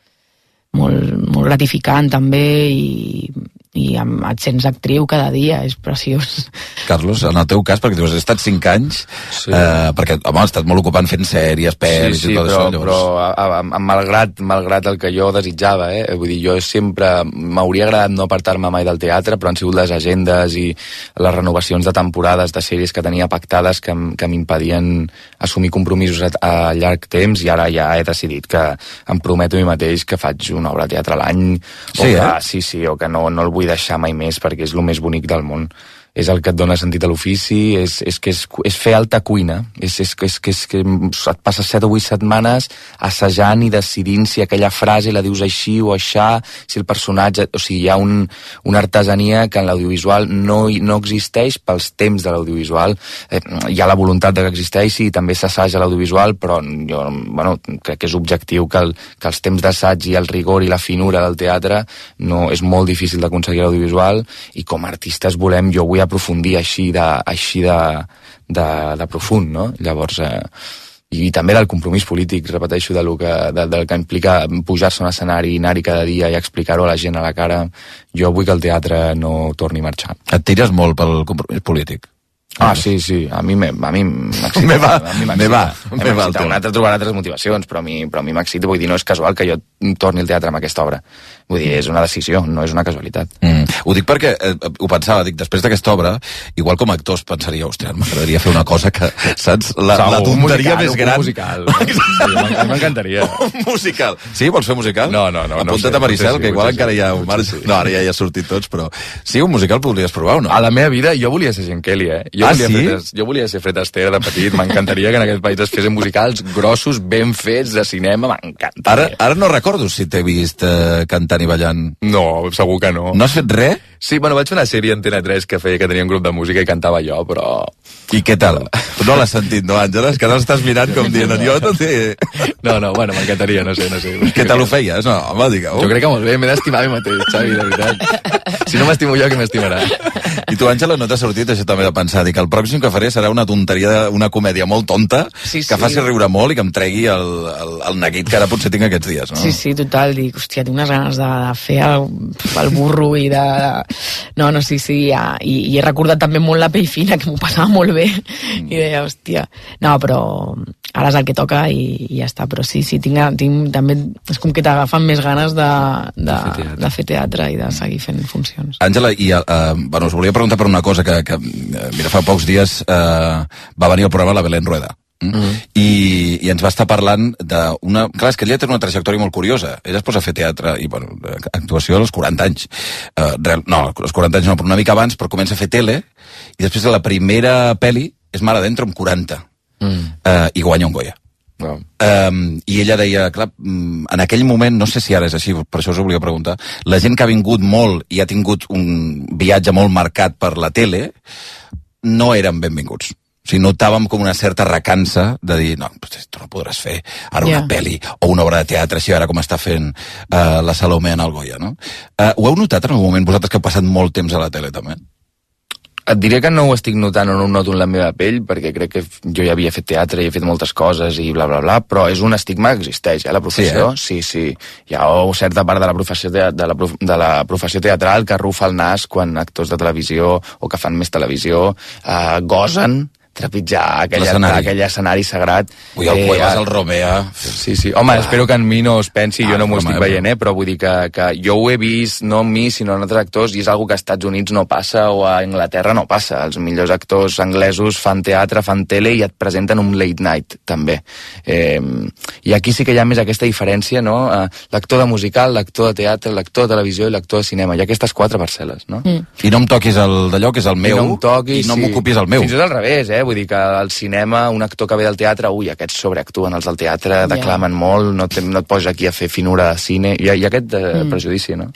molt, molt gratificant també, i et sents actriu cada dia, és preciós. Carlos, en el teu cas, perquè tu has estat 5 anys, perquè, home, has estat molt ocupant fent sèries, pel·lis i tot això. Però malgrat el que jo desitjava, vull dir, jo sempre m'hauria agradat no apartar-me mai del teatre, però han sigut les agendes i les renovacions de temporades de sèries que tenia pactades que m'impedien assumir compromisos a llarg temps, i ara ja he decidit que em prometo a mi mateix que faig una obra de teatre a l'any, o que no el vull deixar mai més, perquè és el més bonic del món. És el que et dona sentit a l'ofici, és fer alta cuina, és que et passes 7 o 8 setmanes assajant i decidint si aquella frase la dius així o aixà, si el personatge... O sigui, hi ha una artesania que en l'audiovisual no existeix pels temps de l'audiovisual. Hi ha la voluntat que existeixi i també s'assaja l'audiovisual, però jo crec que és objectiu que els temps d'assaig i el rigor i la finura del teatre és molt difícil d'aconseguir a l'audiovisual, i com a artistes jo vull aprofundir així de profund, no? Llavors, i també del compromís polític, repeteixo, del que implica pujar-se a un escenari, anar-hi cada dia i explicar-ho a la gent a la cara. Jo vull que el teatre no torni a marxar. Et tires molt pel compromís polític? Sí, a mi m'excita. Me va. Un altre trobarà altres motivacions, però a mi m'excita, vull dir, no és casual que jo torni al teatre amb aquesta obra. Vull dir, és una decisió, no és una casualitat. Ho dic perquè ho pensava, després d'aquesta obra, igual com a actors pensaria, hòstia, m'agradaria fer una cosa que, saps, la tonteria més gran. Un musical. Sí, m'encantaria. Un musical. Sí, vols fer musical? No. Apunta't a Maricel, que igual encara hi ha un marge. No, ara ja hi ha sortit tots, però sí, un musical podries provar o no? A la meva vida jo volia ser Gen Kelly, Jo volia ser Fred Astaire de petit, m'encantaria que en aquest país es fessin musicals grossos, ben fets, de cinema, m'encantaria. Ara no recordo si t'he vist cantant i ballant. No, segur que no. No has fet res? Sí, vaig fer una sèrie a Antena 3 que tenia un grup de música i cantava jo, però... I què tal? No l'has sentit, no, Àngela? És que no estàs mirant com dient, jo no té... No, m'encantaria, no sé. Què tal ho feies? No, home, digueu. Jo crec que molt bé, m'he d'estimar a mi mateix, Xavi, de veritat. Si no m'estimo jo, qui m'estimarà? I tu, Àngela, no t'ha sortit això també de pensar, dir que el pròxim que faré serà una tonteria, una comèdia molt tonta, que faci riure molt i que em tregui el neguit que ara potser tinc aquests dies, no? Sí, total, dic, hòstia, tinc unes ganes de fer el burro i de... No, sí, i he recordat també molt la pell fina, que m'ho passava molt bé, i deia, hòstia... No, però ara és el que toca i ja està, però sí, tinc també... És com que t'agafen més ganes de fer teatre i de seguir fent funcions. Àngela, us volia preguntar per una cosa que mira, fa pocs dies va venir al programa la Belén Rueda. I ens va estar parlant d'una... Clar, és que ella té una trajectòria molt curiosa. Ella es posa a fer teatre i, bueno, actuació als 40 anys. No, als 40 anys no, però una mica abans, però comença a fer tele i després de la primera pel·li és Mar Adentro amb 40 i guanya un Goya. Wow. I ella deia, clar, en aquell moment, no sé si ara és així, per això us ho volia preguntar, la gent que ha vingut molt i ha tingut un viatge molt marcat per la tele no eren benvinguts. O sigui, notàvem com una certa recança de dir, no, tu no podràs fer ara una pel·li o una obra de teatre així ara com està fent la Salomé en el Goya, no? Ho heu notat en algun moment, vosaltres que heu passat molt temps a la tele també? Et diré que no ho estic notant o no ho noto en la meva pell, perquè crec que jo ja havia fet teatre i he fet moltes coses i bla, bla, bla, però és un estigma que existeix, la professió. Sí. Hi ha certa part de la professió teatral que arrufa el nas quan actors de televisió o que fan més televisió gosen trepitjar aquell escenari sagrat. Ui, el Cuevas, el Romea... Sí. Home, espero que en mi no es pensi, jo no m'ho estic veient, però vull dir que jo ho he vist, no en mi, sinó en altres actors, i és algo que als Estats Units no passa o a Anglaterra no passa. Els millors actors anglesos fan teatre, fan tele i et presenten un late night, també. I aquí sí que hi ha més aquesta diferència, no? L'actor de musical, l'actor de teatre, l'actor de televisió i l'actor de cinema. Hi ha aquestes 4 parcel·les, no? I no em toquis el d'allò, que és el meu, i no m'ocupis el meu. Fins i tot al revés, vull dir que al cinema un actor que ve del teatre, aquests sobreactuen, els del teatre declamen molt, no et pots aquí a fer finura de cine, hi ha aquest prejudici, no?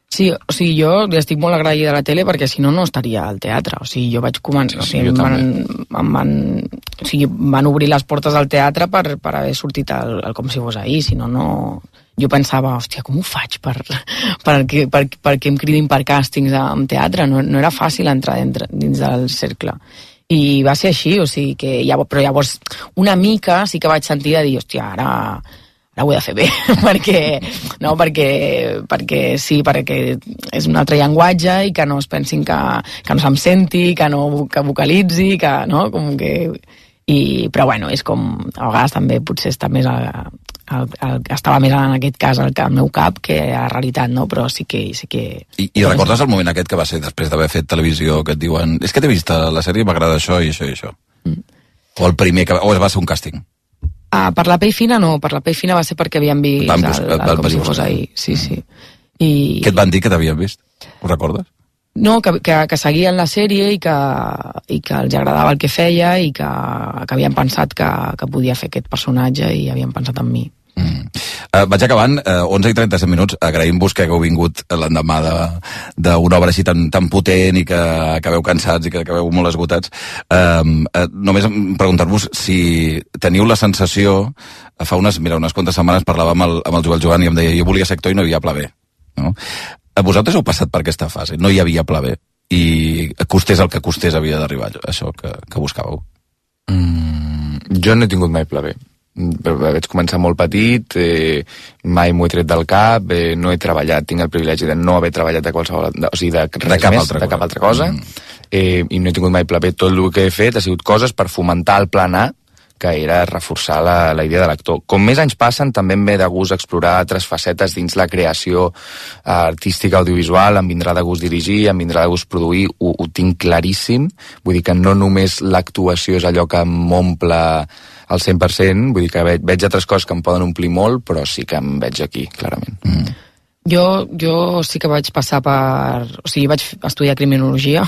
Sí, o sigui, jo estic molt agraïda a la tele perquè si no, no estaria al teatre. O sigui, jo vaig començar... van obrir les portes al teatre per haver sortit el Com si fos ahir, si no, no... Jo pensava, hòstia, com ho faig perquè em cridin per càstings en teatre? No era fàcil entrar dins del cercle. I va ser així, o sigui que... Però llavors, una mica sí que vaig sentir de dir, hòstia, ara ho he de fer bé, perquè és un altre llenguatge i que no es pensin que no se'm senti, que vocalitzi, que, no? Com que... Però bueno, és com... A vegades també potser està més... estava més en aquest cas al meu cap que a la realitat, no? Però sí que... I recordes el moment aquest que va ser després d'haver fet televisió, que et diuen, és que t'he vist a la sèrie, m'agrada això i això i això? O el primer que... O va ser un càsting? Per la pell fina no, per la pell fina va ser perquè havíem vist el Com si fos ahir. Sí. Què et van dir que t'havien vist? Ho recordes? No, que seguien la sèrie i que els agradava el que feia i que havien pensat que podia fer aquest personatge i havien pensat en mi. Vaig acabant, 11 i 37 minuts, agraïm-vos que hagueu vingut l'endemà d'una obra així tan potent i que acabeu cansats i que acabeu molt esgotats. Només preguntar-vos si teniu la sensació, fa unes quantes setmanes parlava amb el Joel Joan i em deia, jo volia ser actor i no hi havia pla B, no? Vosaltres heu passat per aquesta fase, no hi havia pla B i costés el que costés havia d'arribar això que buscàveu? Jo no he tingut mai pla B. Vaig començar molt petit, mai m'ho he tret del cap, no he treballat, tinc el privilegi de no haver treballat de qualsevol, o sigui, de cap altra cosa, i no he tingut mai pla B. Tot el que he fet ha sigut coses per fomentar el plan A, que era reforçar la idea de l'actor. Com més anys passen, també em ve de gust explorar altres facetes dins la creació artística audiovisual, em vindrà de gust dirigir, em vindrà de gust produir, ho tinc claríssim, vull dir que no només l'actuació és allò que m'omple al 100%, vull dir que veig altres coses que em poden omplir molt, però sí que em veig aquí, clarament. Jo sí que vaig passar o sigui, vaig estudiar criminologia,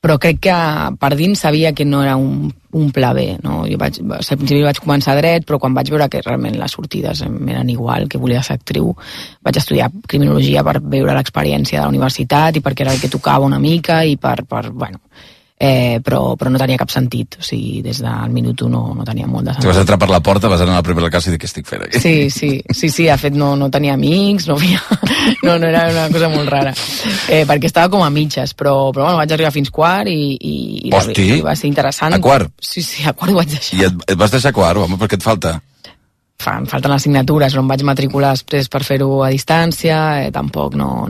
però crec que per dins sabia que no era un pla B, no? Jo al principi vaig començar dret, però quan vaig veure que realment les sortides eren igual, que volia ser actriu, vaig estudiar criminologia per veure l'experiència de la universitat i perquè era el que tocava una mica i bueno... però no tenia cap sentit, o sigui, des del minut 1 no tenia molt de sentit. Si vas entrar per la porta, vas anar a la primera classe i dir què estic fent aquí. Sí, de fet no tenia amics, no era una cosa molt rara, perquè estava com a mitges, però bueno, vaig arribar fins quart i va ser interessant. A quart? Sí, a quart ho vaig deixar. I et vas deixar quart, home, per què et falta? Em falten les assignatures, no em vaig matricular després per fer-ho a distància, tampoc no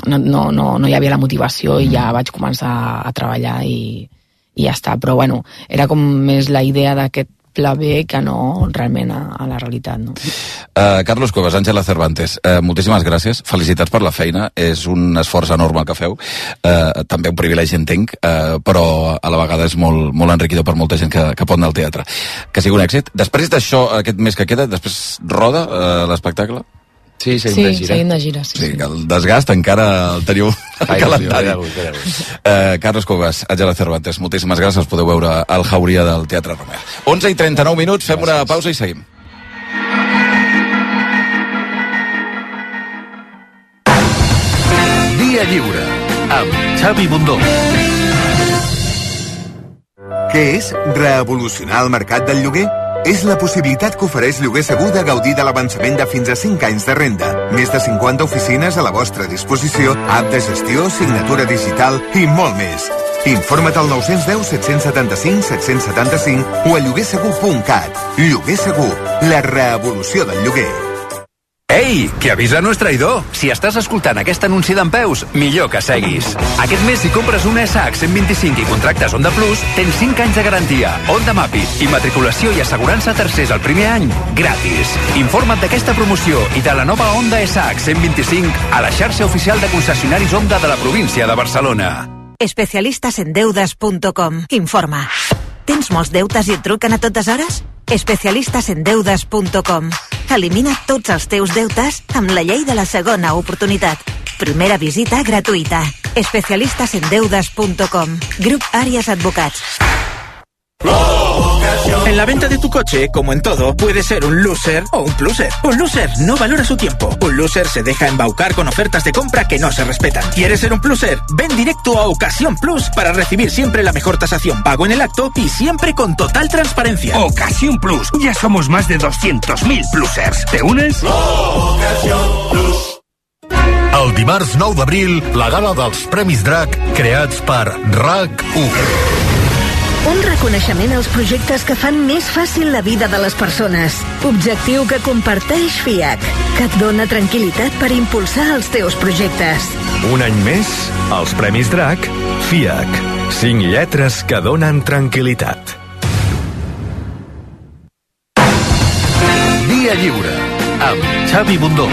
hi havia la motivació i ja vaig començar a treballar i ja està, però bueno, era com més la idea d'aquest pla B que no realment a la realitat, no? Carlos Cuevas, Àngela Cervantes, moltíssimes gràcies, felicitats per la feina, és un esforç enorme el que feu, també un privilegi entenc, però a la vegada és molt, molt enriquidor per molta gent que pot anar al teatre. Que sigui un èxit. Després d'això, aquest mes que queda, després roda l'espectacle? Sí, seguim de gira. Sí, que el desgast encara el teniu al calendari. Carlos Cuevas, Àngela Cervantes, moltíssimes gràcies, podeu veure el Jauria del Teatre Romea. 11:39 minuts, fem una pausa i seguim. Dia lliure, amb Xavi Bundó. Què és revolucionar el mercat del lloguer? És la possibilitat que ofereix Lloguer Segur de gaudir de l'avançament de fins a 5 anys de renda. Més de 50 oficines a la vostra disposició, app de gestió, signatura digital i molt més. Informa't al 910 775 775 o a lloguersegur.cat. Lloguer Segur, la revolució del lloguer. Ei, que avisa no és traïdor. Si estàs escoltant aquest anunci d'Empeus, millor que seguis. Aquest mes, si compres una SH 125 i contractes Honda Plus, tens 5 anys de garantia, Honda Mapi, immatriculació i assegurança a tercers el primer any, gratis. Informa't d'aquesta promoció i de la nova Honda SH 125 a la xarxa oficial de concessionaris Honda de la província de Barcelona. Especialistasendeudes.com. Informa. Tens molts deutes i et truquen a totes hores? Especialistasendeudes.com. Elimina tots els teus deutes amb la llei de la segona oportunitat. Primera visita gratuïta. Especialistasendeudes.com. Grup Àries Advocats. En la venta de tu coche, como en todo, puede ser un loser o un pluser. Un loser no valora su tiempo. Un loser se deja embaucar con ofertas de compra que no se respetan. ¿Quieres ser un pluser? Ven directo a Ocasión Plus para recibir siempre la mejor tasación, pago en el acto y siempre con total transparencia. Ocasión Plus. Ya somos más de 200.000 plusers. ¿Te unes? Ocasión Plus. El dimarts 9 d'abril, la gala dels Premis DRAC creats per RAC1. Un reconeixement als projectes que fan més fàcil la vida de les persones. Objectiu que comparteix FIAC, que et dona tranquil·litat per impulsar els teus projectes. Un any més, els Premis DRAC, FIAC. 5 lletres que donen tranquil·litat. Dia lliure, amb Xavi Bundó.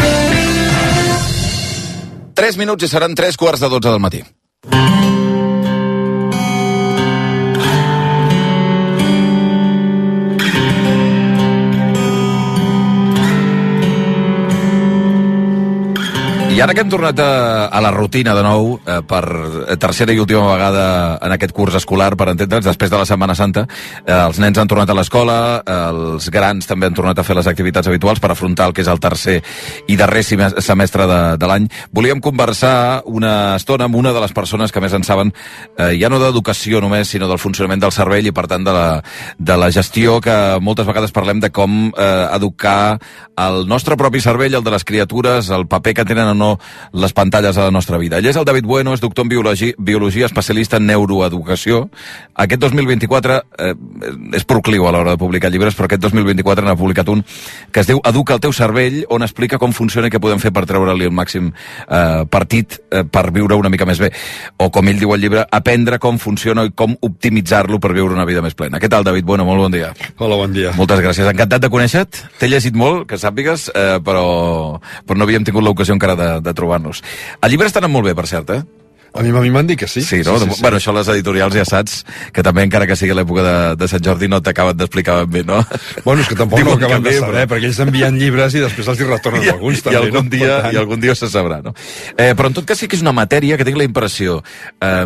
3 minuts i seran 3:15 del matí. I ara que hem tornat a la rutina de nou, per tercera i última vegada en aquest curs escolar, per entendre'ns, després de la Setmana Santa, els nens han tornat a l'escola, els grans també han tornat a fer les activitats habituals per afrontar el que és el tercer i darrer semestre de l'any. Volíem conversar una estona amb una de les persones que més en saben, ja no d'educació només, sinó del funcionament del cervell i, per tant, de la gestió, que moltes vegades parlem de com educar el nostre propi cervell, el de les criatures, el paper que tenen o no les pantalles a la nostra vida. Ell és el David Bueno, és doctor en biologia, especialista en neuroeducació. Aquest 2024 és procliu a l'hora de publicar llibres, però aquest 2024 n'ha publicat un que es diu Educa el teu cervell, on explica com funciona i què podem fer per treure-li el màxim partit per viure una mica més bé. O, com ell diu al llibre, aprendre com funciona i com optimitzar-lo per viure una vida més plena. Què tal, David Bueno? Molt bon dia. Hola, bon dia. Moltes gràcies. Encantat de conèixer-te. T'he llegit molt, que sàpigues, però no havíem tingut l'ocasió encara de trobar-nos. El llibre està anant molt bé, per cert, eh? A mi m'han dit que sí. Sí, no? Sí. Bueno, això les editorials ja saps que també, encara que sigui l'època de Sant Jordi, no t'acaben d'explicar ben bé, no? Bueno, és que tampoc no acaben de saber, perquè ells envien llibres i després els hi retornen alguns, també. I algun dia se sabrà, no? Però en tot cas sí que és una matèria que tinc la impressió,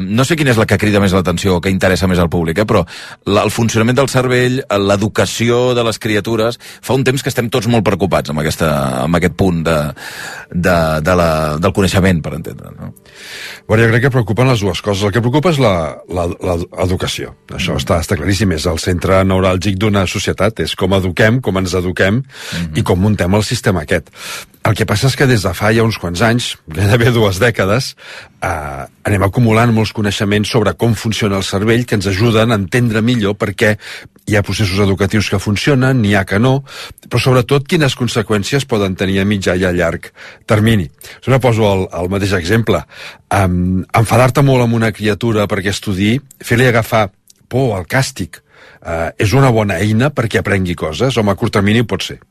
no sé quina és la que crida més l'atenció o que interessa més al públic, però el funcionament del cervell, l'educació de les criatures, fa un temps que estem tots molt preocupats amb aquest punt del coneixement, per entendre, no? Bueno, jo crec que preocupen les dues coses. El que preocupa és l'educació. Això està claríssim, és el centre neuràlgic d'una societat, és com eduquem, com ens eduquem i com muntem el sistema aquest. El que passa és que des de fa ja uns quants anys, gairebé 2 dècades, anem acumulant molts coneixements sobre com funciona el cervell que ens ajuden a entendre millor perquè hi ha processos educatius que funcionen, n'hi ha que no, però sobretot quines conseqüències poden tenir a mitjà i a llarg termini. Si no poso el mateix exemple, enfadar-te molt amb una criatura perquè estudiï, fer-li agafar por al càstig, és una bona eina perquè aprengui coses, home, a curt termini pot ser,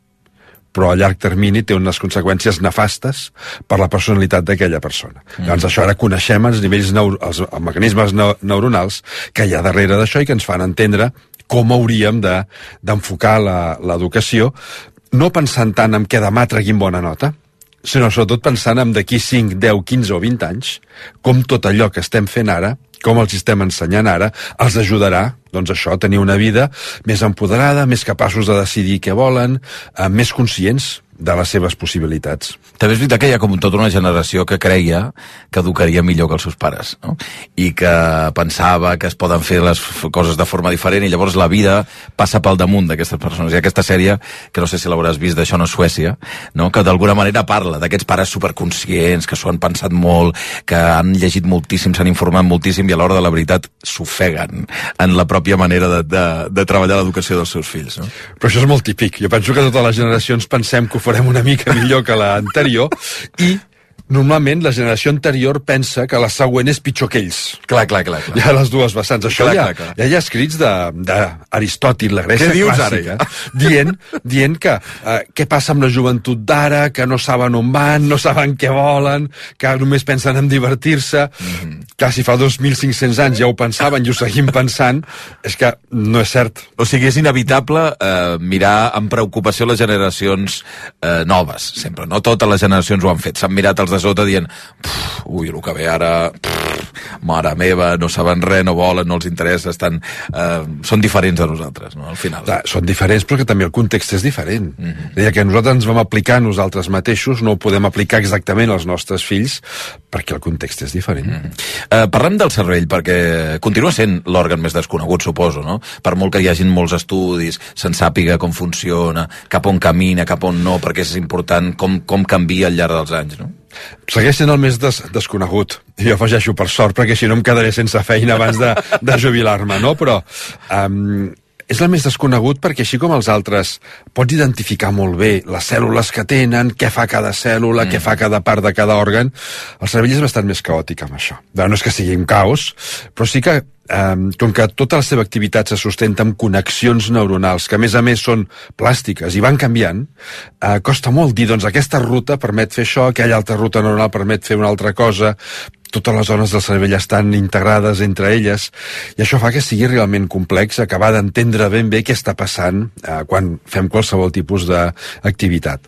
però a llarg termini té unes conseqüències nefastes per la personalitat d'aquella persona. Llavors això ara coneixem els nivells, els mecanismes neuronals que hi ha darrere d'això i que ens fan entendre com hauríem d'enfocar l'educació, no pensant tant en què demà treguin bona nota, sinó sobretot pensant en d'aquí 5, 10, 15 o 20 anys, com tot allò que estem fent ara, com els estem ensenyant ara, els ajudarà, doncs això, a tenir una vida més empoderada, més capaços de decidir què volen, més conscients de les seves possibilitats. També és veritat que hi ha com tota una generació que creia que educaria millor que els seus pares, no? I que pensava que es poden fer les coses de forma diferent i llavors la vida passa pel damunt d'aquestes persones. I aquesta sèrie, que no sé si l'hauràs vist, d'Això no és Suècia, no? Que d'alguna manera parla d'aquests pares superconscients, que s'ho han pensat molt, que han llegit moltíssim, s'han informat moltíssim i a l'hora de la veritat s'ofeguen en la pròpia manera de treballar l'educació dels seus fills, no? Però això és molt típic. Jo penso que totes les generacions pensem que ho farem una mica millor que l'anterior i normalment la generació anterior pensa que la següent és pitjor que ells. Clar. Hi ha les dues vessants. Això clar. Ja hi ha escrits d'Aristòtil, la Grècia clàssica, dient que què passa amb la joventut d'ara, que no saben on van, no saben què volen, que només pensen en divertir-se. Clar, si fa 2.500 anys ja ho pensaven i ho seguim pensant, és que no és cert. O sigui, és inevitable mirar amb preocupació les generacions noves, sempre. No totes les generacions ho han fet. S'han mirat els de sota dient, ui, el que ve ara, mare meva, no saben res, no volen, no els interessa, són diferents de nosaltres, no? Al final. Clar, són diferents, però que també el context és diferent. Deia que nosaltres ens vam aplicar a nosaltres mateixos, no ho podem aplicar exactament als nostres fills, perquè el context és diferent. Parlem del cervell, perquè continua sent l'òrgan més desconegut, suposo, no? Per molt que hi hagin molts estudis, se'n sàpiga com funciona, cap on camina, cap on no, perquè és important com canvia al llarg dels anys, no? Segueix sent el més desconegut. Jo afegeixo per sort, perquè si no em quedaré sense feina abans de jubilar-me, no? Però és el més desconegut perquè així com els altres pots identificar molt bé les cèl·lules que tenen, què fa cada cèl·lula, què fa cada part de cada òrgan, el cervell és bastant més caòtic amb això. No és que sigui un caos, però sí que com que tota la seva activitat se sustenta amb connexions neuronals, que a més són plàstiques i van canviant, costa molt dir, doncs aquesta ruta permet fer això, aquella altra ruta neuronal permet fer una altra cosa, totes les zones del cervell estan integrades entre elles, i això fa que sigui realment complex acabar d'entendre ben bé què està passant quan fem qualsevol tipus d'activitat.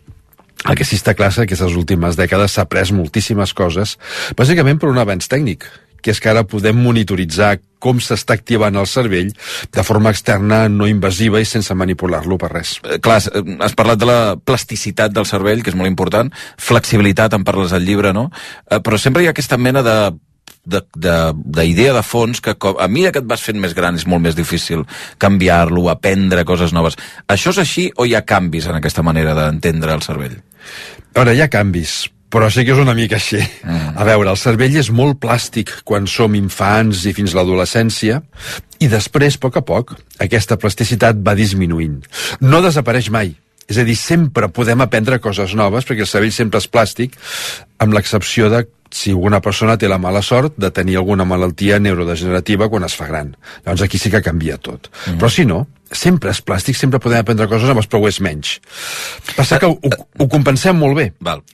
El que sí està clar és que aquestes últimes dècades s'ha après moltíssimes coses, bàsicament per un avenç tècnic, que és que ara podem monitoritzar com s'està activant el cervell de forma externa, no invasiva i sense manipular-lo per res. Clar, has parlat de la plasticitat del cervell, que és molt important, flexibilitat, en parles al llibre, no? Però sempre hi ha aquesta mena d'idea de fons que a mesura que et vas fent més gran és molt més difícil canviar-lo, aprendre coses noves. Això és així o hi ha canvis en aquesta manera d'entendre el cervell? Ara, hi ha canvis, però sí que és una mica així. A veure, el cervell és molt plàstic quan som infants i fins a l'adolescència, i després, a poc, aquesta plasticitat va disminuint. No desapareix mai. És a dir, sempre podem aprendre coses noves, perquè el cervell sempre és plàstic, amb l'excepció de si alguna persona té la mala sort de tenir alguna malaltia neurodegenerativa quan es fa gran. Llavors aquí sí que canvia tot. Però si no, sempre és plàstic, sempre podem aprendre coses noves, però ho és menys. Passa que ho compensem molt bé.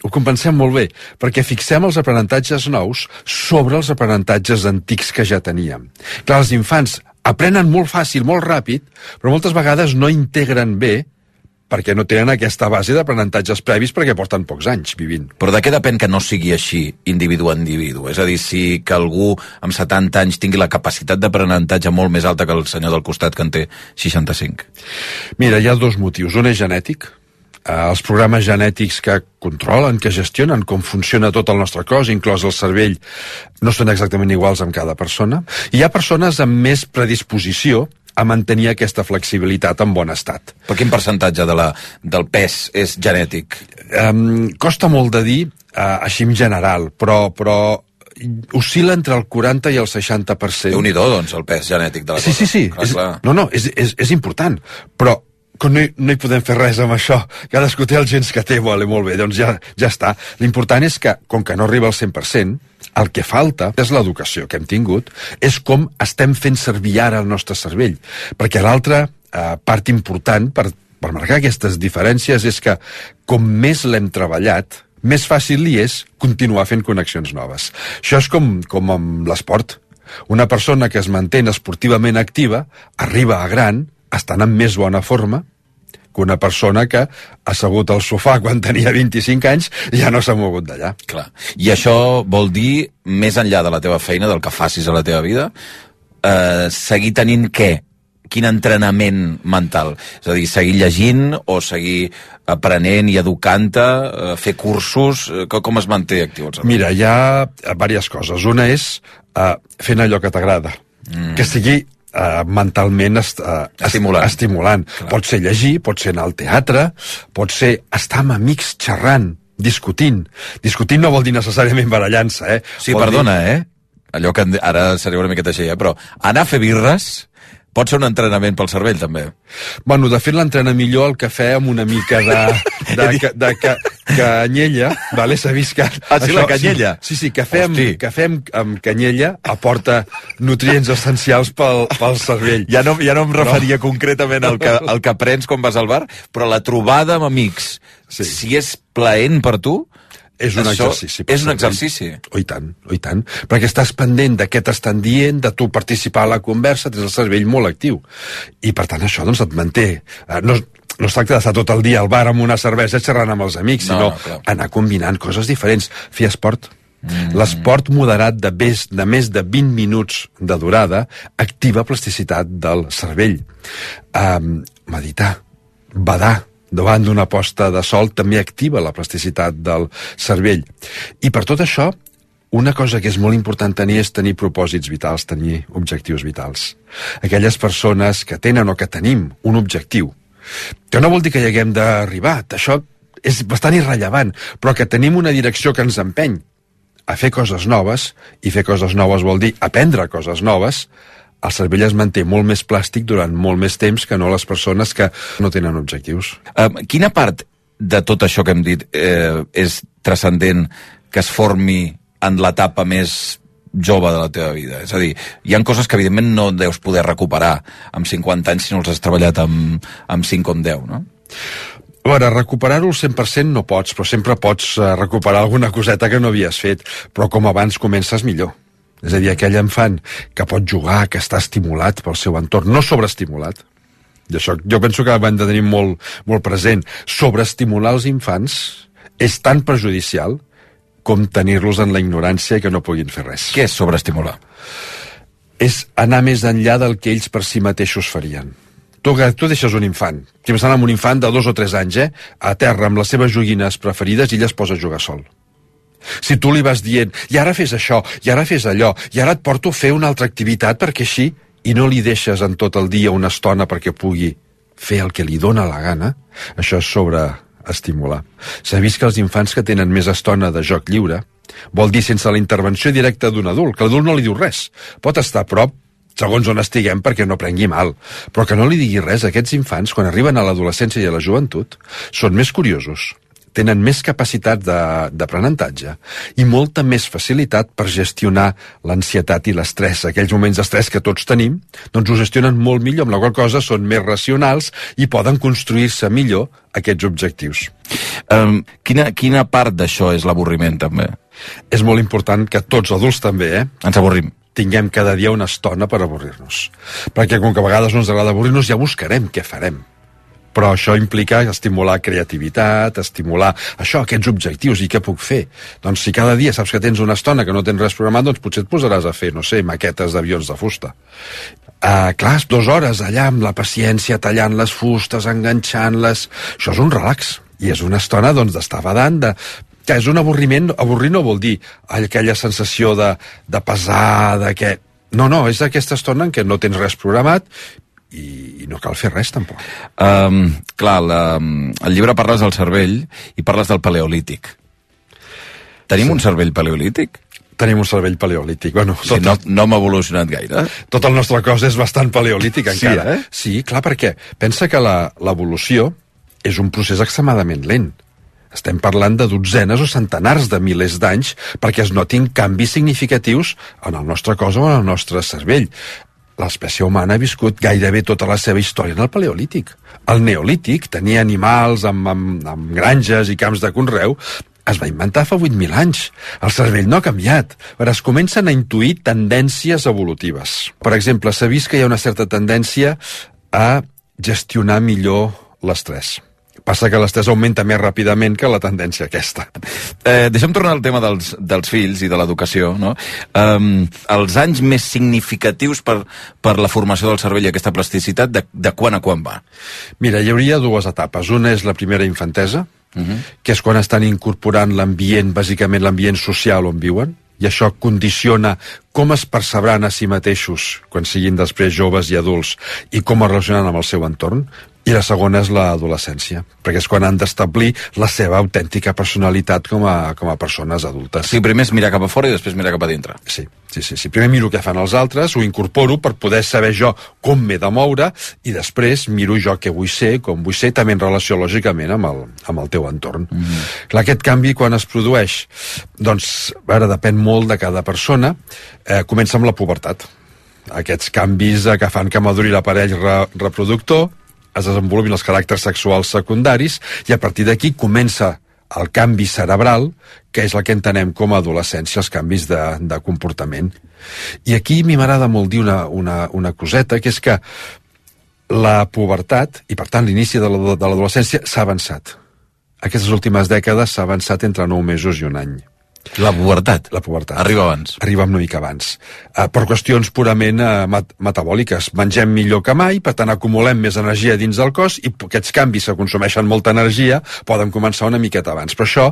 Ho compensem molt bé, perquè fixem els aprenentatges nous sobre els aprenentatges antics que ja teníem. Clar, els infants aprenen molt fàcil, molt ràpid, però moltes vegades no integren bé perquè no tenen aquesta base d'aprenentatges previs perquè porten pocs anys vivint. Però de què depèn que no sigui així, individu a individu? És a dir, si que algú amb 70 anys tingui la capacitat d'aprenentatge molt més alta que el senyor del costat que en té 65? Mira, hi ha dos motius. Un és genètic, els programes genètics que controlen, que gestionen com funciona tot el nostre cos, inclòs el cervell, no són exactament iguals amb cada persona. I hi ha persones amb més predisposició a mantenir aquesta flexibilitat en bon estat. Per quin percentatge del pes és genètic? Costa molt de dir, així en general, però oscil·la entre el 40 i el 60%. Déu-n'hi-do, doncs, el pes genètic de la cosa. Sí. És important, però no hi podem fer res amb això. Cadascú té els gens que té, molt bé, doncs ja està. L'important és que, com que no arriba al 100%, el que falta és l'educació que hem tingut, és com estem fent servir ara el nostre cervell. Perquè l'altra part important per marcar aquestes diferències és que, com més l'hem treballat, més fàcil li és continuar fent connexions noves. Això és com amb l'esport. Una persona que es manté esportivament activa arriba a gran estant en més bona forma que una persona que ha assegut al sofà quan tenia 25 anys i ja no s'ha mogut d'allà. Clar. I això vol dir, més enllà de la teva feina, del que facis a la teva vida, seguir tenint què? Quin entrenament mental? És a dir, seguir llegint o seguir aprenent i educant-te, fer cursos? Com es manté actiu el cervell? Mira, hi ha diverses coses. Una és fent allò que t'agrada. Que sigui mentalment estimulant. Pot ser llegir, pot ser anar al teatre, pot ser estar amb amics xerrant, discutint. Discutint no vol dir necessàriament barallant-se, Sí, perdona, allò que ara seria una miqueta així, però anar a fer birres pot ser un entrenament pel cervell, també. Bueno, de fet, l'entrena millor el cafè amb una mica de canyella, vale? S'ha vist que... la canyella? Sí, cafè amb canyella aporta nutrients essencials pel cervell. Ja no em referia concretament al que prens quan vas al bar, però la trobada amb amics, si és plaent per tu... És un exercici. És un exercici. I tant. Perquè estàs pendent de què t'estan dient, de tu participar a la conversa, tens el cervell molt actiu. I per tant això doncs et manté. No es tracta d'estar tot el dia al bar amb una cervesa xerrant amb els amics, sinó anar combinant coses diferents. Fer esport. L'esport moderat de més de 20 minuts de durada activa plasticitat del cervell. Meditar, badar, davant d'una posta de sol també activa la plasticitat del cervell. I per tot això, una cosa que és molt important tenir és tenir propòsits vitals, tenir objectius vitals. Aquelles persones que tenen o que tenim un objectiu, que no vol dir que hi haguem d'arribar, això és bastant irrellevant, però que tenim una direcció que ens empeny a fer coses noves, i fer coses noves vol dir aprendre coses noves, el cervell es manté molt més plàstic durant molt més temps que no les persones que no tenen objectius. Quina part de tot això que hem dit és transcendent que es formi en l'etapa més jove de la teva vida? És a dir, hi ha coses que evidentment no deus poder recuperar amb 50 anys si no els has treballat amb 5 o amb 10, no? A veure, recuperar-ho al 100% no pots, però sempre pots recuperar alguna coseta que no havies fet, però com abans comences millor. És a dir, aquell infant que pot jugar, que està estimulat pel seu entorn, no sobreestimulat. I això jo penso que hem de tenir molt, molt present. Sobreestimular els infants és tan perjudicial com tenir-los en la ignorància i que no puguin fer res. Què és sobreestimular? És anar més enllà del que ells per si mateixos farien. Tu deixes un infant, si m'estan amb un infant de 2 o 3 anys, a terra amb les seves joguines preferides i ella es posa a jugar sol. Si tu li vas dient, i ara fes això, i ara fes allò, i ara et porto a fer una altra activitat perquè així, i no li deixes en tot el dia una estona perquè pugui fer el que li dóna la gana, això és sobreestimular. S'ha vist que els infants que tenen més estona de joc lliure vol dir sense la intervenció directa d'un adult, que l'adult no li diu res. Pot estar a prop, segons on estiguem, perquè no prengui mal, però que no li digui res. Aquests infants, quan arriben a l'adolescència i a la joventut, són més curiosos, tenen més capacitat d'aprenentatge i molta més facilitat per gestionar l'ansietat i l'estrès. Aquells moments d'estrès que tots tenim, doncs ho gestionen molt millor, amb la qual cosa són més racionals i poden construir-se millor aquests objectius. Quina part d'això és l'avorriment, també? És molt important que tots adults també, ens avorrim. Tinguem cada dia una estona per avorrir-nos. Perquè com que a vegades no ens agrada avorrir-nos, ja buscarem què farem. Però això implica estimular creativitat, estimular aquests objectius, i què puc fer? Doncs si cada dia saps que tens una estona que no tens res programat, doncs potser et posaràs a fer, no sé, maquetes d'avions de fusta. Clar, 2 hores allà amb la paciència, tallant les fustes, enganxant-les, això és un relax. I és una estona, doncs, d'estar badant, que és un avorriment. Avorrir no vol dir aquella sensació de pesar, de que... No, és aquesta estona en què no tens res programat i no cal fer res, tampoc. Clar, el llibre parles del cervell i parles del paleolític. Tenim un cervell paleolític? Tenim un cervell paleolític. Bueno, no hem evolucionat gaire. Tot el nostre cos és bastant paleolític, encara. Sí, Sí, clar, perquè pensa que l'evolució és un procés extremadament lent. Estem parlant de dotzenes o centenars de milers d'anys perquè es notin canvis significatius en el nostre cos o en el nostre cervell. L'espècie humana ha viscut gairebé tota la seva història en el paleolític. El neolític tenia animals amb granges i camps de conreu. Es va inventar fa 8.000 anys. El cervell no ha canviat. Però es comencen a intuir tendències evolutives. Per exemple, s'ha vist que hi ha una certa tendència a gestionar millor l'estrès. Passa que l'estrès augmenta més ràpidament que la tendència aquesta. Deixa'm tornar al tema dels fills i de l'educació, no? Els anys més significatius per la formació del cervell i aquesta plasticitat, de quan a quan va? Mira, hi hauria dues etapes. Una és la primera infantesa, que és quan estan incorporant l'ambient, bàsicament l'ambient social on viuen, i això condiciona com es percebran a si mateixos quan siguin després joves i adults i com es relacionen amb el seu entorn. I la segona és l'adolescència, perquè és quan han d'establir la seva autèntica personalitat com a persones adultes. Sí, primer és mirar cap a fora i després mirar cap a dintre. Sí. Primer miro què fan els altres, ho incorporo per poder saber jo com m'he de moure i després miro jo què vull ser, com vull ser, també en relació lògicament amb el teu entorn. Clar, aquest canvi quan es produeix? Doncs, ara depèn molt de cada persona. Comença amb la pubertat. Aquests canvis que fan que maduri l'aparell reproductor, es desenvolupin els caràcters sexuals secundaris i a partir d'aquí comença el canvi cerebral, que és el que entenem com a adolescència, els canvis de comportament. I aquí a mi m'agrada molt dir una coseta, que és que la pubertat, i per tant l'inici de l'adolescència, s'ha avançat. Aquestes últimes dècades s'ha avançat entre 9 mesos i un any. La pubertat? La pubertat. Arriba abans? Arriba una mica abans. Per qüestions purament metabòliques. Mengem millor que mai, per tant acumulem més energia dins del cos i aquests canvis que consumeixen molta energia poden començar una miqueta abans. Però això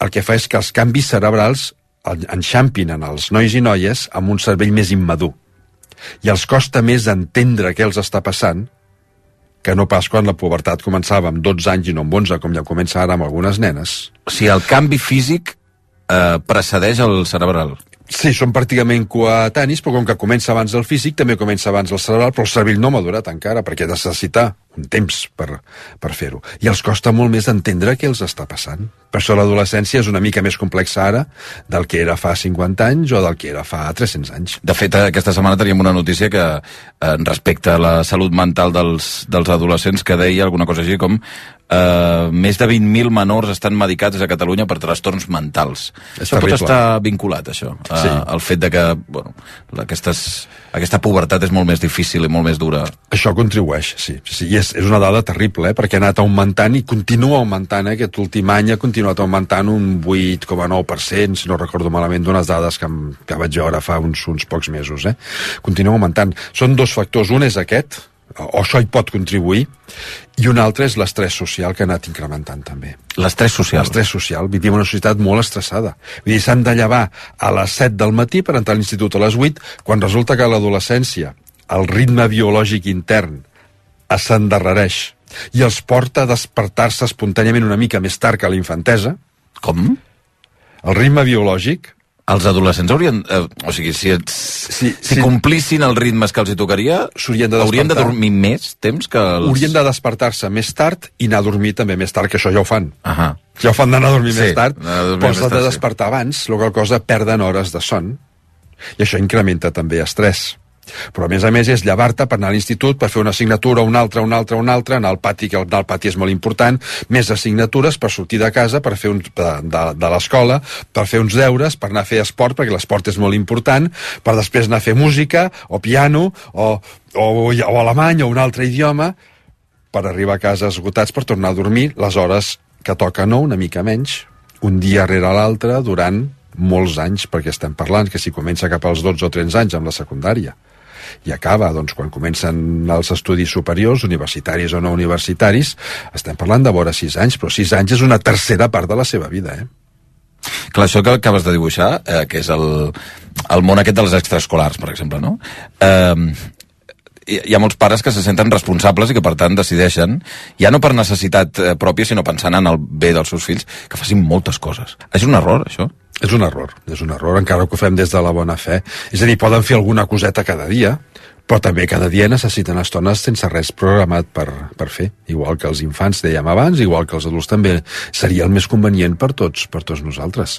el que fa és que els canvis cerebrals enxampin en els nois i noies amb un cervell més immadur. I els costa més entendre què els està passant que no pas quan la pubertat començava amb 12 anys i no amb 11, com ja comença ara amb algunes nenes. O sigui, el canvi físic precedeix el cerebral. Sí, són pràcticament coetanis, però com que comença abans el físic, també comença abans el cerebral, però el cervell no ha madurat encara, perquè necessita un temps per fer-ho. I els costa molt més entendre què els està passant. Per això l'adolescència és una mica més complexa ara del que era fa 50 anys o del que era fa 300 anys. De fet, aquesta setmana teníem una notícia que respecte a la salut mental dels adolescents, que deia alguna cosa així com més de 20.000 menors estan medicats a Catalunya per trastorns mentals. Això pot estar vinculat, això, al fet de que aquesta pubertat és molt més difícil i molt més dura. Això contribueix, sí. I és una dada terrible, perquè ha anat augmentant i continua augmentant. Aquest últim any ha continuat augmentant un 8,9%, si no recordo malament, d'unes dades que vaig veure fa uns pocs mesos. Continua augmentant. Són dos factors. Un és aquest, o això hi pot contribuir, i un altre és l'estrès social, que ha anat incrementant també. L'estrès social? L'estrès social. Vivim en una societat molt estressada. Vull dir, s'han de llevar a les 7 del matí per entrar a l'institut a les 8, quan resulta que a l'adolescència el ritme biològic intern s'endarrereix i els porta a despertar-se espontàniament una mica més tard que a la infantesa. Com? El ritme biològic... Els adolescents haurien... o sigui, si complissin els ritmes que els hi tocaria, haurien de dormir més temps que els... Haurien de despertar-se més tard i anar a dormir també més tard, que això ja ho fan. Ja ho fan d'anar a dormir més tard, però s'ha de despertar abans, la qual cosa perden hores de son, i això incrementa també estrès. Però a més és llevar-te per anar a l'institut, per fer una assignatura, una altra, anar al pati, que anar al pati és molt important, més assignatures per sortir de casa, per fer de l'escola, per fer uns deures, per anar a fer esport, perquè l'esport és molt important, per després anar a fer música, o piano, o alemany, o un altre idioma, per arribar a casa esgotats, per tornar a dormir les hores que toca, no, una mica menys, un dia rere l'altre, durant molts anys, perquè estem parlant que si comença cap als 12 o 13 anys amb la secundària. i acaba, doncs, quan comencen els estudis superiors, universitaris o no universitaris, estem parlant de vora 6 anys, però 6 anys és una tercera part de la seva vida, Clar, això que acabes de dibuixar, que és el món aquest dels extraescolars, per exemple, no? Hi ha molts pares que se senten responsables i que, per tant, decideixen, ja no per necessitat pròpia, sinó pensant en el bé dels seus fills, que facin moltes coses. És un error, això? És un error, encara que ho fem des de la bona fe. És a dir, poden fer alguna coseta cada dia, però també cada dia necessiten estones sense res programat per fer. Igual que els infants, dèiem abans, igual que els adults també seria el més convenient per tots nosaltres.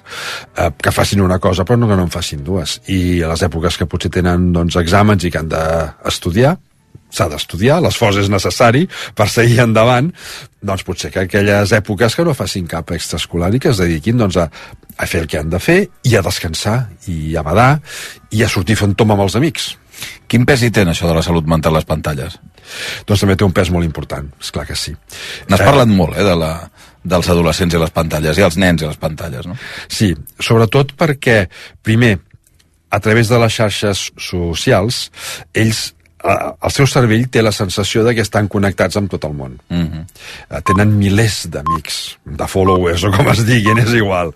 Que facin una cosa, però no que no en facin dues. I a les èpoques que potser tenen exàmens i que han d'estudiar, s'ha d'estudiar, l'esforç és necessari per seguir endavant, doncs potser que aquelles èpoques que no facin cap extraescolar i que es dediquin a fer el que han de fer i a descansar i a badar i a sortir fent tom amb els amics. Quin pes hi té això de la salut mental a les pantalles? Doncs també té un pes molt important, esclar que sí. N'has parlat molt, dels adolescents i les pantalles, i els nens i les pantalles, no? Sí, sobretot perquè, primer, a través de les xarxes socials, ells el seu cervell té la sensació de que estan connectats amb tot el món. Tenen milers d'amics, de followers o com es diguin, és igual.